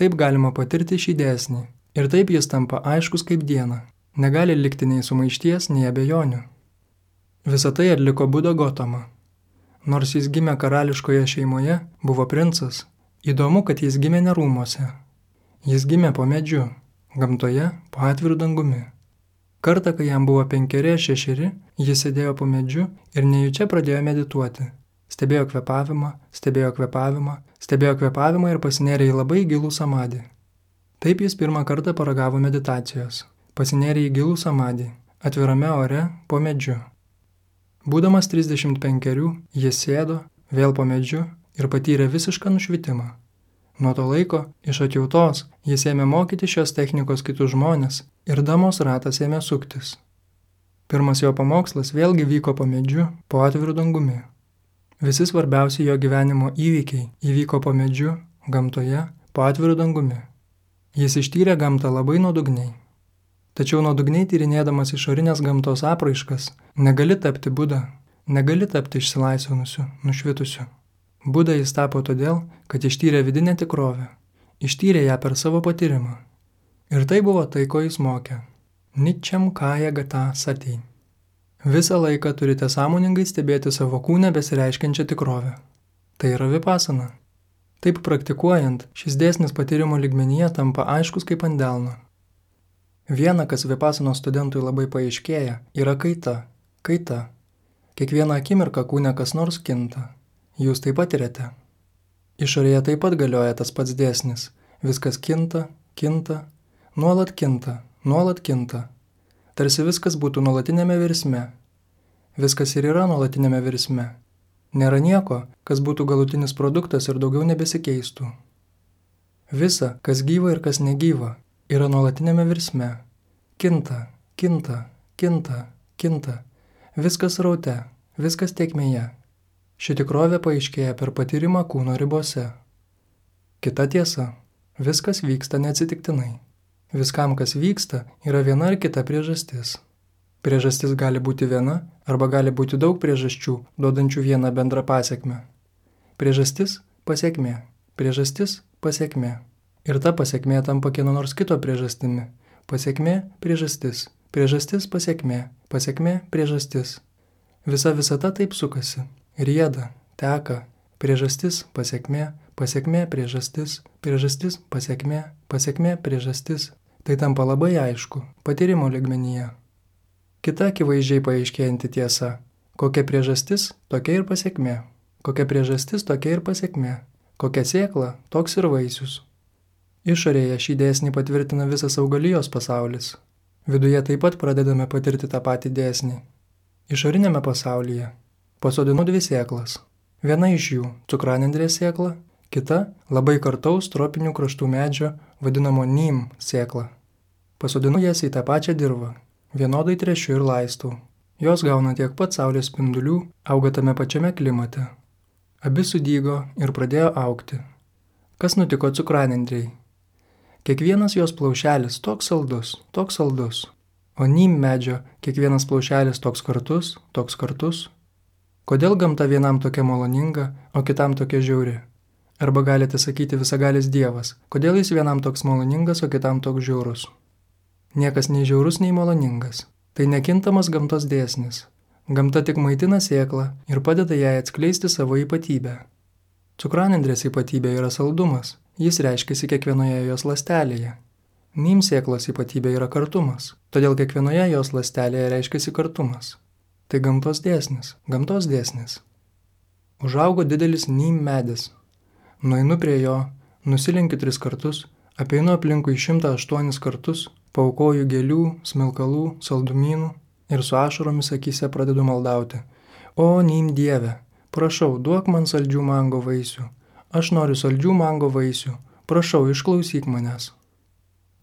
Taip galima patirti šį dėsnį ir taip jis tampa aiškus kaip diena. Negali likti nei sumaišties, nei abejonių. Visą tai atliko Buda Gotama. Nors jis gimė karališkoje šeimoje, buvo princas. Įdomu, kad jis gimė ne rūmuose. Jis gimė po medžiu, gamtoje, po atviru dangumi. Kartą, kai jam buvo penkeri ar šešeri, jis sėdėjo po medžiu ir nejučia pradėjo medituoti. Stebėjo kvėpavimą, stebėjo kvėpavimą, stebėjo kvėpavimą ir pasinėrė į labai gilų samadį. Taip jis pirmą kartą paragavo meditacijos. Pasinėrė į gilų samadį, atvirame ore, po medžiu. Būdamas trisdešimt penkerių, jis sėdo, vėl po medžiu ir patyrė visišką nušvitimą. Nuo to laiko, iš atjautos, jis ėmė mokyti šios technikos kitus žmonės ir damos ratas ėmė suktis. Pirmas jo pamokslas vėlgi vyko po medžiu, po atviru dangumi. Visi svarbiausi jo gyvenimo įvykiai įvyko po medžiu, gamtoje, po atviru dangumi. Jis ištyrė gamtą labai nuodugniai. Tačiau nuodugniai tyrinėdamas išorinės gamtos apraiškas, negali tapti Buda, negali tapti išsilaisvinusiu, nušvitusiu. Buda jis tapo todėl, kad ištyrė vidinę tikrovę, ištyrė ją per savo patyrimą. Ir tai buvo tai, ko jis mokė. Ničem kaya gata sati. Visą laiką turite sąmoningai stebėti savo kūne besireiškiančią tikrovę. Tai yra vipasana. Taip praktikuojant, šis dėsnis patyrimo lygmenyje tampa aiškus kaip ant delno. Viena, kas vipasanos studentui labai paaiškėja, yra kaita. Kaita. Kiekvieną akimirką kūne kas nors kinta. Jūs tai patirėte. Išorėje taip pat galioja tas pats dėsnis. Viskas kinta, kinta, nuolat kinta, nuolat kinta. Tarsi viskas būtų nuolatinėme virsme. Viskas ir yra nuolatinėme virsme. Nėra nieko, kas būtų galutinis produktas ir daugiau nebesikeistų. Visa, kas gyva ir kas negyva, yra nuolatinėme virsme. Kinta, kinta, kinta, kinta. Viskas raute, viskas tėkmėje. Ši tikrovė paaiškėja per patyrimą kūno ribose. Kita tiesa. Viskas vyksta neatsitiktinai. Viskam, kas vyksta, yra viena ar kita priežastis. Priežastis gali būti viena, arba gali būti daug priežasčių, duodančių vieną bendrą pasekmę. Priežastis – pasekmė. Priežastis – pasekmė. Ir ta pasekmė tampa kieno nors kito priežastimi. Pasekmė – priežastis. Priežastis – pasekmė. Pasekmė – priežastis. Visa visata taip sukasi. Rieda, teka. Priežastis – pasekmė. Pasekmė – priežastis. Priežastis – pasekmė. Pasekmė – priežastis. Tai tampa labai aišku, patyrimo lygmenyje. Kita akivaizdžiai paaiškėjanti tiesa. Kokia priežastis, tokia ir pasekmė. Kokia priežastis, tokia ir pasekmė. Kokia sėkla, toks ir vaisius. Išorėje šį dėsnį patvirtina visas augalijos pasaulis. Viduje taip pat pradedame patirti tą patį dėsnį. Išorinėme pasaulyje pasodinu dvi sėklas. Viena iš jų – cukranendrės sėkla, kita – labai kartaus tropinių kraštų medžio vadinamo nim sėkla. Pasodinu jas į tą pačią dirvą. Vienodai trešiu ir laistau. Jos gauna tiek pat saulės spindulių, auga tame pačiame klimate. Abi sudygo ir pradėjo augti. Kas nutiko cukranendrei? Kiekvienas jos plaušelis toks saldus, toks saldus. O nim medžio kiekvienas plaušelis toks kartus, toks kartus. Kodėl gamta vienam tokia maloninga, o kitam tokia žiauri? Arba galite sakyti visagalis Dievas, kodėl jis vienam toks maloningas, o kitam toks žiaurus? Niekas nei žiaurus, nei maloningas. Tai nekintamas gamtos dėsnis. Gamta tik maitina sėklą ir padeda jai atskleisti savo ypatybę. Cukranendrės ypatybė yra saldumas. Jis reiškiasi kiekvienoje jos ląstelėje. Nim sėklos ypatybė yra kartumas. Todėl kiekvienoje jos ląstelėje reiškiasi kartumas. Tai gamtos dėsnis. Gamtos dėsnis. Užaugo didelis nim medis. Nueinu prie jo, nusilenkiu tris kartus, apeinu aplinkui šimtą aštuonis kartus, paaukoju gėlių, smilkalų, saldumynų ir su ašaromis akyse pradedu maldauti. O, nim Dieve, prašau, duok man saldžių mango vaisių. Aš noriu saldžių mango vaisių. Prašau, išklausyk manęs.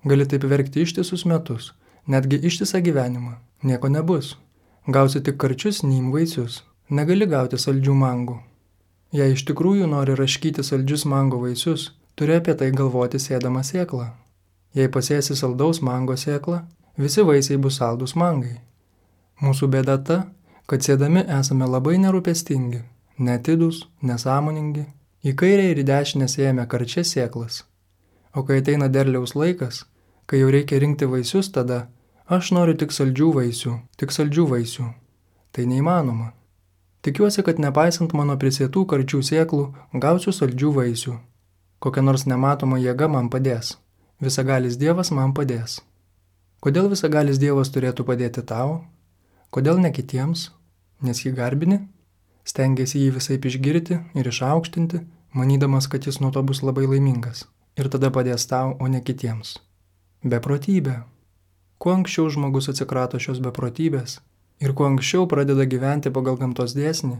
Gali taip verkti ištisus metus, netgi ištisą gyvenimą. Nieko nebus. Gausi tik karčius nym vaisius, negali gauti saldžių mangų. Jei iš tikrųjų nori raškyti saldžius mango vaisius, turi apie tai galvoti sėdama sėklą. Jei pasėsi saldaus mango sėklą, visi vaisiai bus saldus mangai. Mūsų bėda ta, kad sėdami esame labai nerūpestingi, netidūs, nesąmoningi, į kairę ir į dešinę sėjame karčias sėklas. O kai ateina derliaus laikas, kai jau reikia rinkti vaisius, tada aš noriu tik saldžių vaisių, tik saldžių vaisių. Tai neįmanoma. Tikiuosi, kad nepaisant mano prisėtų karčių sėklų, gausiu saldžių vaisių. Kokia nors nematoma jėga man padės. Visagalis Dievas man padės. Kodėl visagalis Dievas turėtų padėti tau? Kodėl ne kitiems? Nes jį garbini? Stengiasi jį visaip išgirti ir išaukštinti, manydamas, kad jis nuo to bus labai laimingas. Ir tada padės tau, o ne kitiems. Beprotybė. Kuo anksčiau žmogus atsikrato šios beprotybės ir kuo anksčiau pradeda gyventi pagal gamtos dėsnį,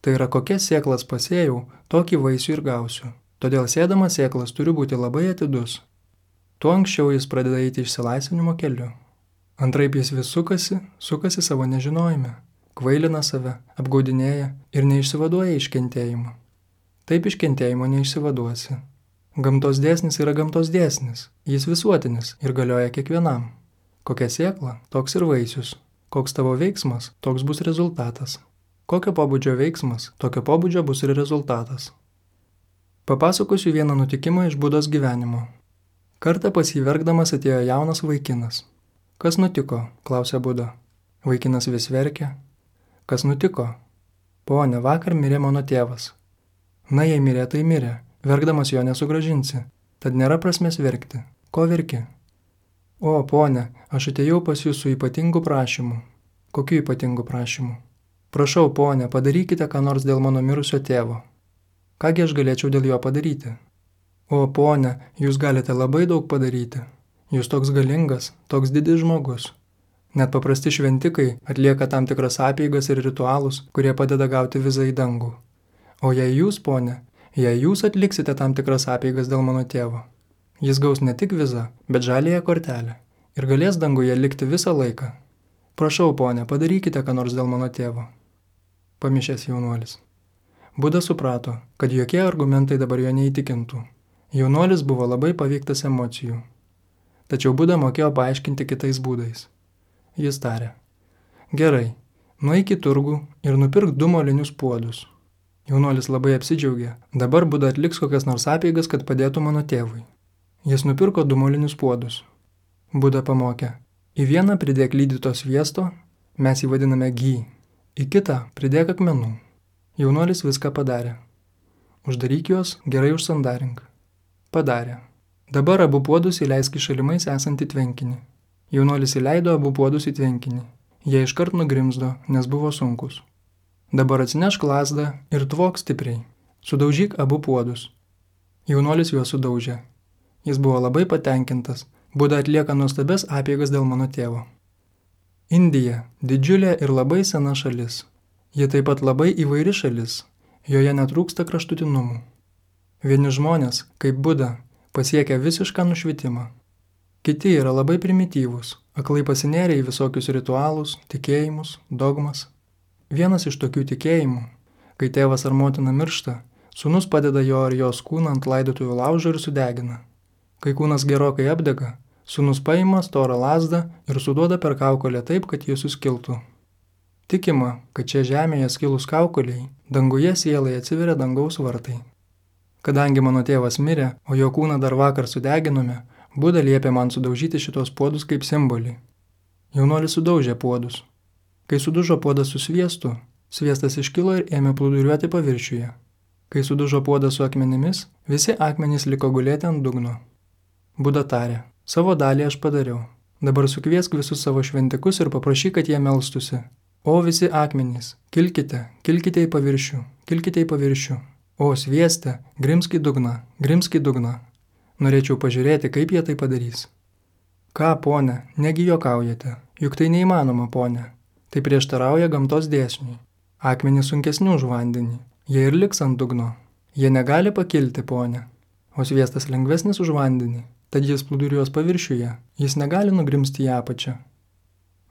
tai yra kokias sėklas pasėjau, tokį vaisių ir gausiu. Todėl sėdamas sėklas turi būti labai atidus. Tuo anksčiau jis pradeda eiti išsilaisvinimo keliu. Antraip jis vis sukasi, sukasi savo nežinojime, kvailina save, apgaudinėja ir neišsivaduoja iš kentėjimo. Taip iš kentėjimo neišsivaduosi. Gamtos dėsnis yra gamtos dėsnis, jis visuotinis ir galioja kiekvienam. Kokia sėkla, toks ir vaisius. Koks tavo veiksmas, toks bus rezultatas. Kokio pobūdžio veiksmas, tokio pobūdžio bus ir rezultatas. Papasakosiu vieną nutikimą iš Budos gyvenimo. Kartą pas jį verkdamas atėjo jaunas vaikinas. Kas nutiko, klausė Buda. Vaikinas vis verkė. Kas nutiko? Pone, vakar mirė mano tėvas. Na, jei mirė, tai mirė. Verkdamas jo nesugrąžinsi. Tad nėra prasmės verkti. Ko verki? O, ponė, aš atėjau pas jūs su ypatingu prašymu. Kokiu ypatingu prašymu? Prašau, ponė, padarykite ką nors dėl mano mirusio tėvo. Kągi aš galėčiau dėl jo padaryti? O, ponė, jūs galite labai daug padaryti. Jūs toks galingas, toks didis žmogus. Net paprasti šventikai atlieka tam tikras apeigas ir ritualus, kurie padeda gauti vizą į dangų. O jei jūs, ponė, jei jūs atliksite tam tikras apeigas dėl mano tėvo, jis gaus ne tik vizą, bet žaliąją kortelę ir galės danguje likti visą laiką. Prašau, ponė, padarykite ką nors dėl mano tėvo. Pamišęs jaunuolis. Buda suprato, kad jokie argumentai dabar jo neįtikintų. Jaunuolis buvo labai paveiktas emocijų. Tačiau Buda mokėjo paaiškinti kitais būdais. Jis tarė. Gerai, nueik į turgų ir nupirk du molinius puodus. Jaunuolis labai apsidžiaugė. Dabar Buda atliks kokias nors apeigas, kad padėtų mano tėvui. Jis nupirko du molinius puodus. Buda pamokė. Į vieną pridėk lydyto sviesto, mes jį vadiname gy. Į kitą pridėk akmenų. Jaunuolis viską padarė. Uždaryk juos, gerai užsandarink. Padarė. Dabar abu puodus įleisk į šalimais esantį tvenkinį. Jaunuolis įleido abu puodus į tvenkinį. Jie iškart nugrimzdo, nes buvo sunkus. Dabar atsinešk lazdą ir tvok stipriai. Sudaužyk abu puodus. Jaunuolis juos sudaužė. Jis buvo labai patenkintas. Buda atlieka nuostabias apeigas dėl mano tėvo. Indija – didžiulė ir labai sena šalis. Ji taip pat labai įvairi šalis. Joje netrūksta kraštutinumų. Vieni žmonės, kaip Buda, pasiekia visišką nušvitimą. Kiti yra labai primityvūs, aklai pasinėrė į visokius ritualus, tikėjimus, dogmas. Vienas iš tokių tikėjimų, kai tėvas ar motina miršta, sūnus padeda jo ar jos kūną ant laidotuvių laužo ir sudegina. Kai kūnas gerokai apdega, sūnus paima storą lazdą ir suduoda per kaukolę taip, kad jis suskiltų. Tikima, kad čia žemėje skilus kaukoliai, danguje sielai atsiveria dangaus vartai. Kadangi mano tėvas mirė, o jo kūną dar vakar sudeginome, Buda liepė man sudaužyti šitos puodus kaip simbolį. Jaunuolis sudaužė puodus. Kai sudužo puodas su sviestu, sviestas iškilo ir ėmė plūduriuoti paviršiuje. Kai sudužo puodas su akmenimis, visi akmenys liko gulėti ant dugno. Buda tarė, savo dalį aš padariau. Dabar sukviesk visus savo šventikus ir paprašyk, kad jie melstusi. O visi akmenys, kilkite, kilkite į paviršių, kilkite į paviršių. O svieste, grimsk į dugną, grimsk į dugną. Norėčiau pažiūrėti, kaip jie tai padarys. Ką, ponė, negi juokaujate, juk tai neįmanoma, ponė. Tai prieštarauja gamtos dėsniui. Akmenys sunkesni už vandenį, jie ir liks ant dugno. Jie negali pakilti, ponė. O sviestas lengvesnis už vandenį, tad jis plūduriuos paviršiuje, jis negali nugrimsti į apačią.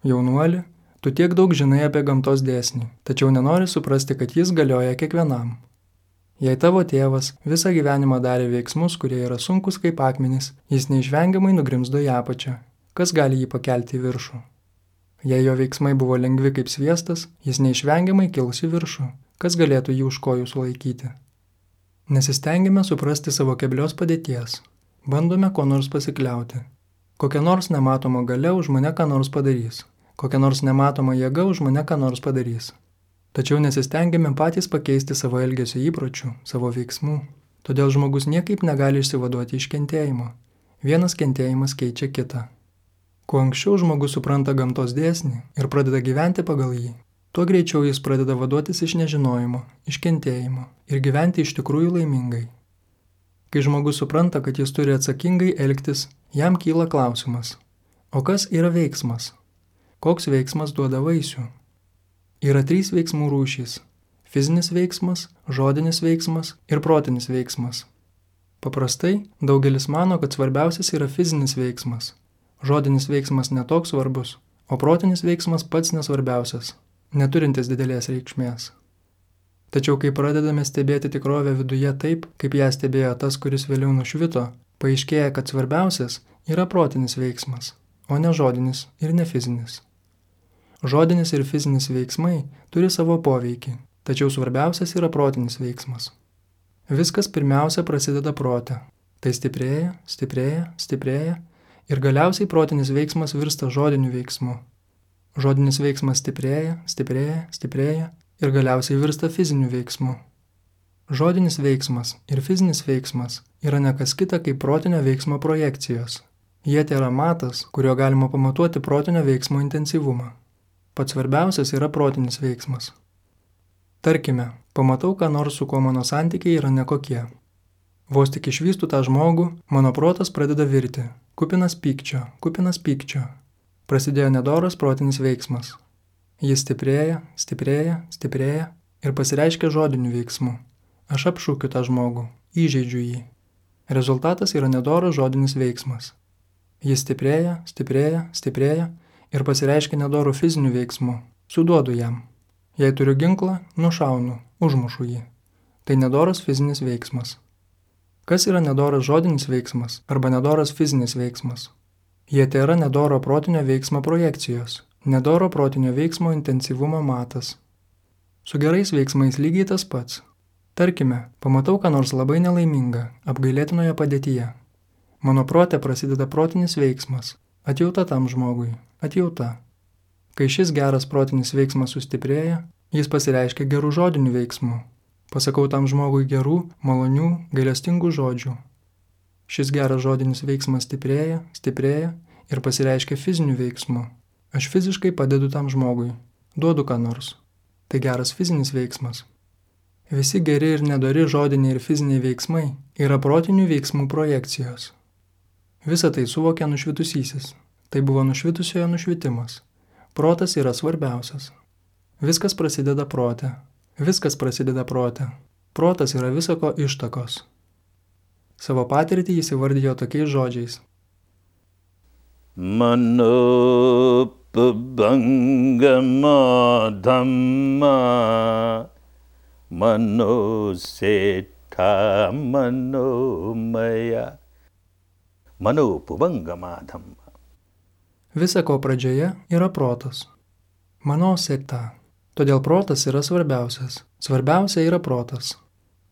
Jaunuoli, Tu tiek daug žinai apie gamtos dėsnį, tačiau nenori suprasti, kad jis galioja kiekvienam. Jei tavo tėvas visą gyvenimą darė veiksmus, kurie yra sunkus kaip akmenys, jis neišvengiamai nugrimzdo į apačią. Kas gali jį pakelti į viršų? Jei jo veiksmai buvo lengvi kaip sviestas, jis neišvengiamai kils į viršų. Kas galėtų jį už kojų sulaikyti? Nesistengime suprasti savo keblios padėties. Bandome ko nors pasikliauti. Kokia nors nematoma galia už mane ką nors padarys. Kokia nors nematoma jėga už mane ką nors padarys. Tačiau nesistengime patys pakeisti savo elgesio įpročių, savo veiksmų. Todėl žmogus niekaip negali išsivaduoti iš kentėjimo. Vienas kentėjimas keičia kitą. Kuo anksčiau žmogus supranta gamtos dėsnį ir pradeda gyventi pagal jį, tuo greičiau jis pradeda vaduotis iš nežinojimo, iš kentėjimo ir gyventi iš tikrųjų laimingai. Kai žmogus supranta, kad jis turi atsakingai elgtis, jam kyla klausimas: o kas yra veiksmas? Koks veiksmas duoda vaisių? Yra trys veiksmų rūšys – fizinis veiksmas, žodinis veiksmas ir protinis veiksmas. Paprastai daugelis mano, kad svarbiausias yra fizinis veiksmas. Žodinis veiksmas netoks svarbus, o protinis veiksmas pats nesvarbiausias, neturintis didelės reikšmės. Tačiau kai pradedame stebėti tikrovę viduje taip, kaip ją stebėjo tas, kuris vėliau nušvito, paaiškėja, kad svarbiausias yra protinis veiksmas, o ne žodinis ir ne fizinis. Žodinis ir fizinis veiksmai turi savo poveikį, tačiau svarbiausias yra protinis veiksmas. Viskas pirmiausia prasideda prote. Tai stiprėja, stiprėja, stiprėja ir galiausiai protinis veiksmas virsta žodiniu veiksmu. Žodinis veiksmas stiprėja, stiprėja, stiprėja ir galiausiai virsta fiziniu veiksmu. Žodinis veiksmas ir fizinis veiksmas yra ne kas kita kaip protinio veiksmo projekcijos. Jie tėra matas, kuriuo galima pamatuoti protinio veiksmo intensyvumą. Pats svarbiausias yra protinis veiksmas. Tarkime, pamatau, ką nors, su kuo mano santykiai yra nekokie. Vos tik išvystu tą žmogų, mano protas pradeda virti. Kupinas pykčio, kupinas pykčio. Prasidėjo nedoras protinis veiksmas. Jis stiprėja, stiprėja, stiprėja ir pasireiškia žodiniu veiksmu. Aš apšūkiu tą žmogų, įžeidžiu jį. Rezultatas yra nedoras žodinis veiksmas. Jis stiprėja, stiprėja, stiprėja ir pasireiškia nedorų fizinių veiksmų. Suduodu jam. Jei turiu ginklą, nušaunu, užmušu jį. Tai nedoras fizinis veiksmas. Kas yra nedoras žodinis veiksmas arba nedoras fizinis veiksmas? Jie tėra nedoro protinio veiksmo projekcijos, nedoro protinio veiksmo intensyvumo matas. Su gerais veiksmais lygiai tas pats. Tarkime, pamatau ką nors labai nelaimingą, apgailėtinoje padėtyje. Mano prote prasideda protinis veiksmas. Atjauta tam žmogui, atjauta. Kai šis geras protinis veiksmas sustiprėja, jis pasireiškia gerų žodinių veiksmų. Pasakau tam žmogui gerų, malonių, gailestingų žodžių. Šis geras žodinis veiksmas stiprėja, stiprėja ir pasireiškia fizinių veiksmų. Aš fiziškai padedu tam žmogui, duodu ką nors. Tai geras fizinis veiksmas. Visi geri ir nedori žodiniai ir fiziniai veiksmai yra protinių veiksmų projekcijos. Visą tai suvokia nušvitusysis. Tai buvo nušvitusiojo nušvitimas. Protas yra svarbiausias. Viskas prasideda prote. Viskas prasideda prote. Protas yra visako ištakos. Savo patirtį jis įvardijo tokiais žodžiais. Mano pabangama dhamma, mano seta mano maya. Mano pabangama dhamma. Visa ko pradžioje yra protas. Mano seta. Todėl protas yra svarbiausias. Svarbiausia yra protas.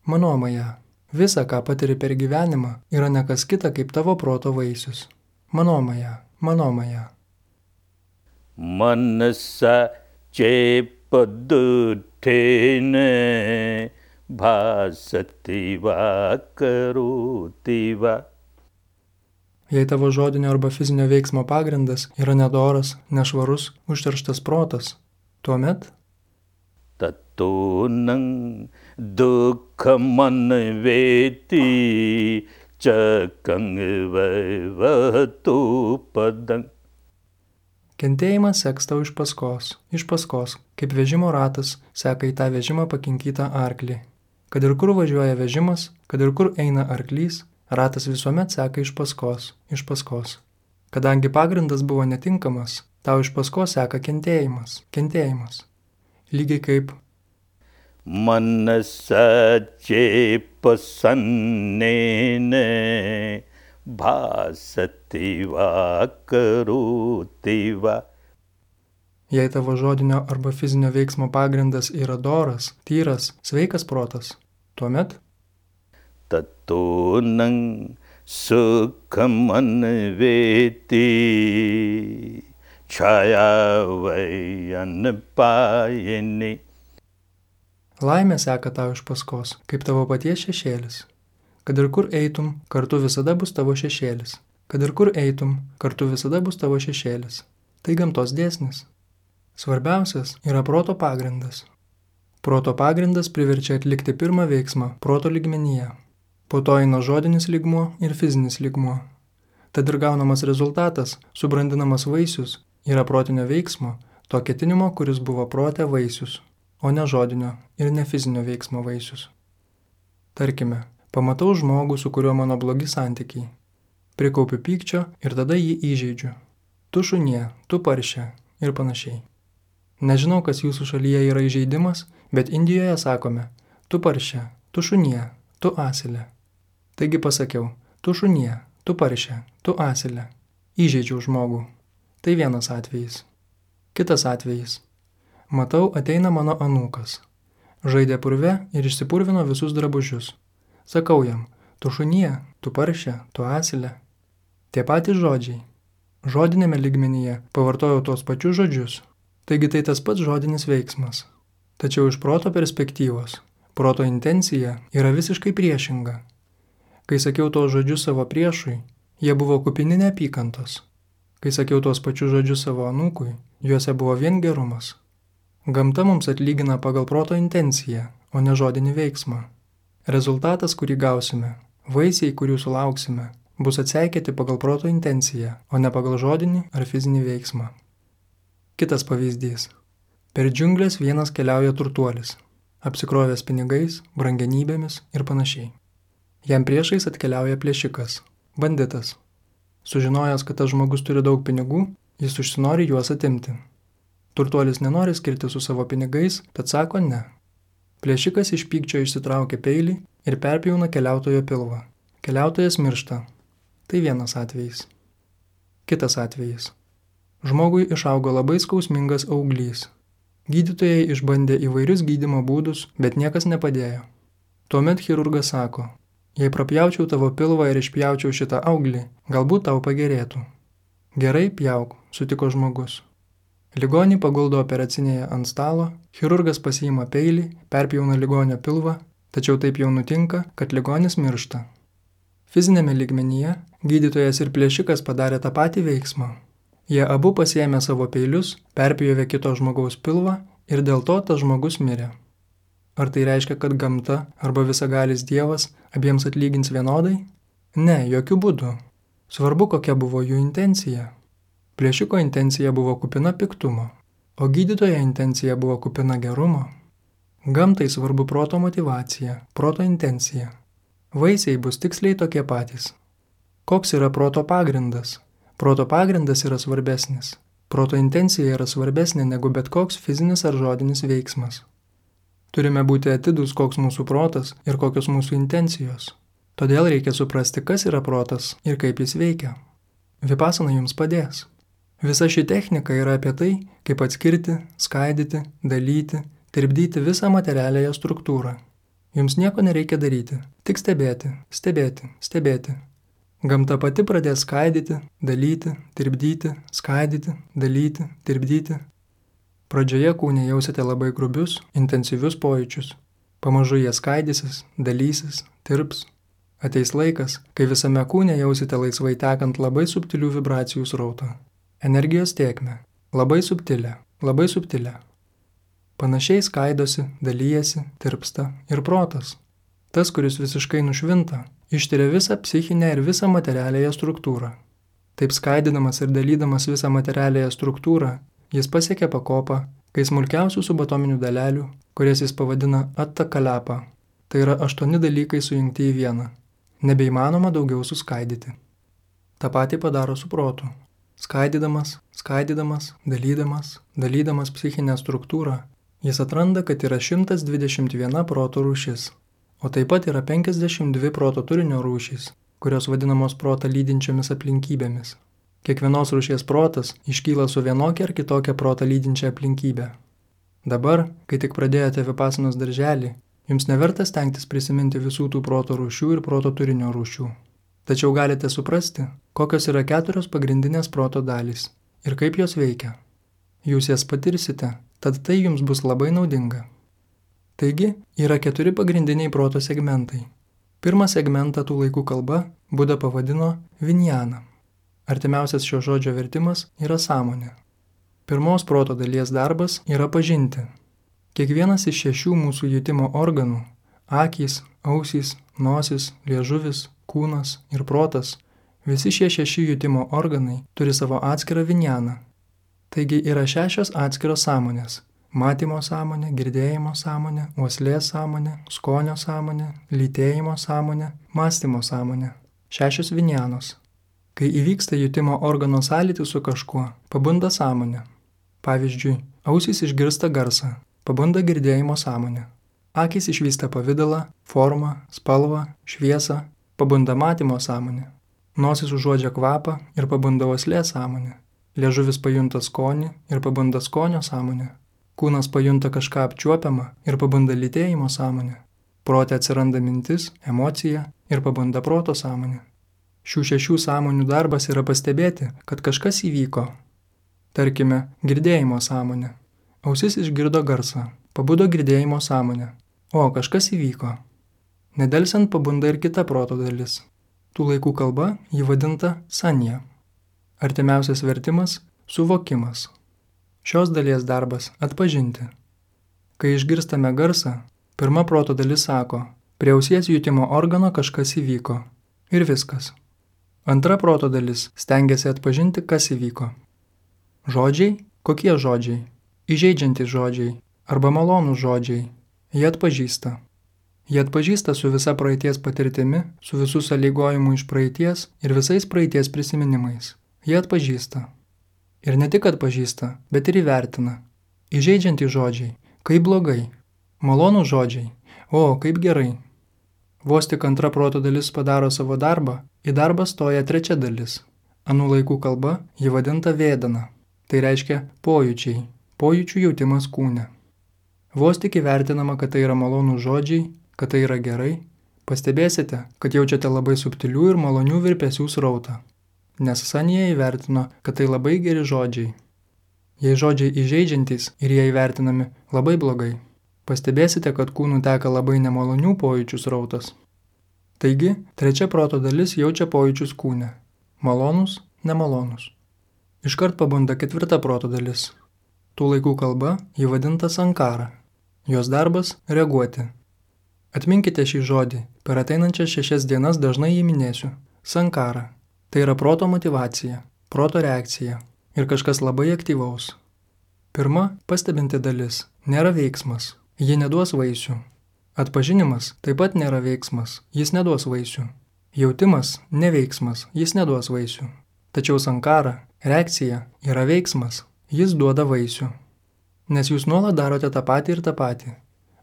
Mano maja. Visa, ką patiri per gyvenimą, yra ne kas kita kaip tavo proto vaisius. Mano maja. Mano maja. Manasa chepadutene bhasativa karutiva. Jei tavo žodinio arba fizinio veiksmo pagrindas yra nedoras, nešvarus, užterštas protas, tuomet tatunang dukhamanveti chakang vaivatu padang. Kentėjimas seks tau iš paskos, iš paskos, kaip vežimo ratas seka į tą vežimą pakinkytą arklį. Kad ir kur važiuoja vežimas, kad ir kur eina arklys, ratas visuomet seka iš paskos, iš paskos. Kadangi pagrindas buvo netinkamas, tau iš paskos seka kentėjimas, kentėjimas. Lygiai kaip Manasacche pasannene bhasativa karutiva. Jei tavo žodinio arba fizinio veiksmo pagrindas yra doras, tyras, sveikas protas, tuomet Tatunang sukham anveti chayavai anpayini. laimė seka tau iš paskos, kaip tavo paties šešėlis. Kad ir kur eitum, kartu visada bus tavo šešėlis. Kad ir kur eitum, kartu visada bus tavo šešėlis. Tai gamtos dėsnis. Svarbiausias yra proto pagrindas. Proto pagrindas priverčia atlikti pirmą veiksmą proto lygmenyje. Po to eina žodinis lygmuo ir fizinis lygmuo. Tad ir gaunamas rezultatas, subrandinamas vaisius, yra protinio veiksmo, to ketinimo, kuris buvo prote vaisius, o ne žodinio ir ne fizinio veiksmo vaisius. Tarkime, pamatau žmogų, su kuriuo mano blogi santykiai. Prikaupiu pykčio ir tada jį įžeidžiu. Tu šunie, tu paršė ir panašiai. Nežinau, kas jūsų šalyje yra įžeidimas, bet Indijoje sakome, tu paršė, tu šunie, tu asilė. Taigi pasakiau, tu šunie, tu paršė, tu asilė. Įžeidžiau žmogų. Tai vienas atvejis. Kitas atvejis. Matau, ateina mano anūkas. Žaidė purve ir išsipurvino visus drabužius. Sakau jam, tu šunie, tu paršė, tu asilė. Tie patys žodžiai. Žodinėme lygmenyje pavartojau tos pačius žodžius. Taigi tai tas pats žodinis veiksmas. Tačiau iš proto perspektyvos, proto intencija yra visiškai priešinga. Kai sakiau tos žodžius savo priešui, jie buvo kupini neapykantos. Kai sakiau tos pačius žodžius savo anūkui, juose buvo vien gerumas. Gamta mums atlygina pagal proto intenciją, o ne žodinį veiksmą. Rezultatas, kurį gausime, vaisiai, kurių sulauksime, bus atseikėti pagal proto intenciją, o ne pagal žodinį ar fizinį veiksmą. Kitas pavyzdys. Per džiunglės vienas keliauja turtuolis, apsikrovęs pinigais, brangenybėmis ir panašiai. Jam priešais atkeliauja plėšikas, banditas. Sužinojęs, kad tas žmogus turi daug pinigų, jis užsinori juos atimti. Turtuolis nenori skirti su savo pinigais, tad sako ne. Plėšikas iš pykčio išsitraukia peilį ir perpjauna keliautojo pilvą. Keliautojas miršta. Tai vienas atvejis. Kitas atvejis. Žmogui išaugo labai skausmingas auglys. Gydytojai išbandė įvairius gydymo būdus, bet niekas nepadėjo. Tuomet chirurgas sako, jei prapjaučiau tavo pilvą ir išpjaučiau šitą auglį, galbūt tau pagerėtų. Gerai, pjauk, sutiko žmogus. Ligonį paguldo operacinėje ant stalo, chirurgas pasiima peilį, perpjauna ligonio pilvą, tačiau taip jau nutinka, kad ligonis miršta. Fizinėme lygmenyje gydytojas ir plėšikas padarė tą patį veiksmą. Jie abu pasiėmė savo peilius, perpjovė kito žmogaus pilvą ir dėl to tas žmogus mirė. Ar tai reiškia, kad gamta arba visagalis Dievas abiems atlygins vienodai? Ne, jokių būdų. Svarbu, kokia buvo jų intencija. Plėšiko intencija buvo kupina piktumo, o gydytojo intencija buvo kupina gerumo. Gamtai svarbu proto motyvacija, proto intencija. Vaisiai bus tiksliai tokie patys. Koks yra proto pagrindas? Proto pagrindas yra svarbesnis. Proto intencija yra svarbesnė negu bet koks fizinis ar žodinis veiksmas. Turime būti atidūs, koks mūsų protas ir kokios mūsų intencijos. Todėl reikia suprasti, kas yra protas ir kaip jis veikia. Vipasana jums padės. Visa ši technika yra apie tai, kaip atskirti, skaidyti, dalyti, tirpdyti visą materialiąją struktūrą. Jums nieko nereikia daryti, tik stebėti, stebėti, stebėti. Gamta pati pradės skaidyti, dalyti, tirpdyti, skaidyti, dalyti, tirpdyti. Pradžioje kūne jausite labai grubius, intensyvius pojūčius. Pamažu jie skaidysis, dalysis, tirps. Ateis laikas, kai visame kūne jausite laisvai tekant labai subtilių vibracijų srautą. Energijos tėkmę. Labai subtilę, labai subtilę. Panašiai skaidosi, dalyjasi, tirpsta ir protas. Tas, kuris visiškai nušvinta, ištiria visą psichinę ir visą materialiąją struktūrą. Taip skaidydamas ir dalydamas visą materialiąją struktūrą, jis pasiekia pakopą, kai smulkiausių subatominių dalelių, kurias jis pavadina attakalapa, tai yra aštuoni dalykai sujungti į vieną. Nebeįmanoma daugiau suskaidyti. tą patį padaro su protu. Skaidydamas, skaidydamas, dalydamas, dalydamas psichinę struktūrą, jis atranda, kad yra šimtas dvidešimt viena proto rūšis, o taip pat yra penkiasdešimt dvi proto turinio rūšys, kurios vadinamos protą lydinčiomis aplinkybėmis. Kiekvienos rūšies protas iškyla su vienokia ar kitokia protą lydinčia aplinkybė. Dabar, kai tik pradėjote vipasanos darželį, jums neverta stengtis prisiminti visų tų proto rūšių ir proto turinio rūšių. Tačiau galite suprasti, kokios yra keturios pagrindinės proto dalys ir kaip jos veikia. Jūs jas patirsite, tad tai jums bus labai naudinga. Taigi, yra keturi pagrindiniai proto segmentai. Pirmą segmentą tų laikų kalba Buda pavadino vinjana. Artimiausias šio žodžio vertimas yra sąmonė. Pirmos proto dalies darbas yra pažinti. Kiekvienas iš šešių mūsų jutimo organų – akys, ausys, nosis, liežuvis, kūnas ir protas – visi šie šeši jutimo organai turi savo atskirą vinjaną. Taigi yra šešios atskiros sąmonės – matymo sąmonė, girdėjimo sąmonė, uoslės sąmonė, skonio sąmonė, lytėjimo sąmonė, mąstymo sąmonė. Šešios vinjanos. Kai įvyksta jutimo organo sąlytis su kažkuo, pabunda sąmonė. Pavyzdžiui, ausys išgirsta garsą, pabunda girdėjimo sąmonė. Akys išvysta pavidalą, formą, spalvą, šviesą, pabunda matymo sąmonė. Nosis užuodžia kvapą ir pabunda uoslės sąmonė. Liežuvis pajunta skonį ir pabunda skonio sąmonė. Kūnas pajunta kažką apčiuopiamą ir pabunda lytėjimo sąmonė. Prote atsiranda mintis, emocija ir pabunda proto sąmonė. Šių šešių sąmonių darbas yra pastebėti, kad kažkas įvyko. Tarkime, girdėjimo sąmonė. Ausis išgirdo garsą, pabudo girdėjimo sąmonė. O, kažkas įvyko. Nedelsiant pabunda ir kita proto dalis. Tų laikų kalba ji vadinta sanja. Artimiausias vertimas – suvokimas. Šios dalies darbas – atpažinti. Kai išgirstame garsą, pirma proto dalis sako, prie ausies jutimo organo kažkas įvyko. Ir viskas. Antra proto dalis stengiasi atpažinti, kas įvyko. Žodžiai? Kokie žodžiai? Įžeidžiantys žodžiai arba malonūs žodžiai. Jie atpažįsta. Jie atpažįsta su visa praeities patirtimi, su visų sąlygojimu iš praeities ir visais praeities prisiminimais. Jie atpažįsta. Ir ne tik atpažįsta, bet ir įvertina. Įžeidžiantys žodžiai. Kaip blogai. Malonūs žodžiai. O, kaip gerai. Vos tik antra proto dalis padaro savo darbą, į darbą stoja trečia dalis. Anų laikų kalba ji vadinta vėdana. Tai reiškia pojūčiai, pojūčių jautimas kūne. Vos tik įvertinama, kad tai yra malonūs žodžiai, kad tai yra gerai, pastebėsite, kad jaučiate labai subtilių ir malonių virpesių srautą. Nes Sanija įvertino, kad tai labai geri žodžiai. Jei žodžiai įžeidžiantys ir jie įvertinami labai blogai, pastebėsite, kad kūnų teka labai nemalonių pojūčių srautas. Taigi, trečia proto dalis jaučia pojūčius kūne. Malonus, nemalonus. Iškart pabunda ketvirta proto dalis. Tų laikų kalba ji vadinta sankara. Jos darbas – reaguoti. Atminkite šį žodį, per ateinančias šešias dienas dažnai jį minėsiu. Sankara. Tai yra proto motyvacija, proto reakcija ir kažkas labai aktyvaus. Pirma, pastebinti dalis – nėra veiksmas. Ji neduos vaisių. Atpažinimas taip pat nėra veiksmas, jis neduos vaisių. Jautimas – neveiksmas, jis neduos vaisių. Tačiau sankara, reakcija, yra veiksmas, jis duoda vaisių. Nes jūs nuolat darote tą patį ir tą patį.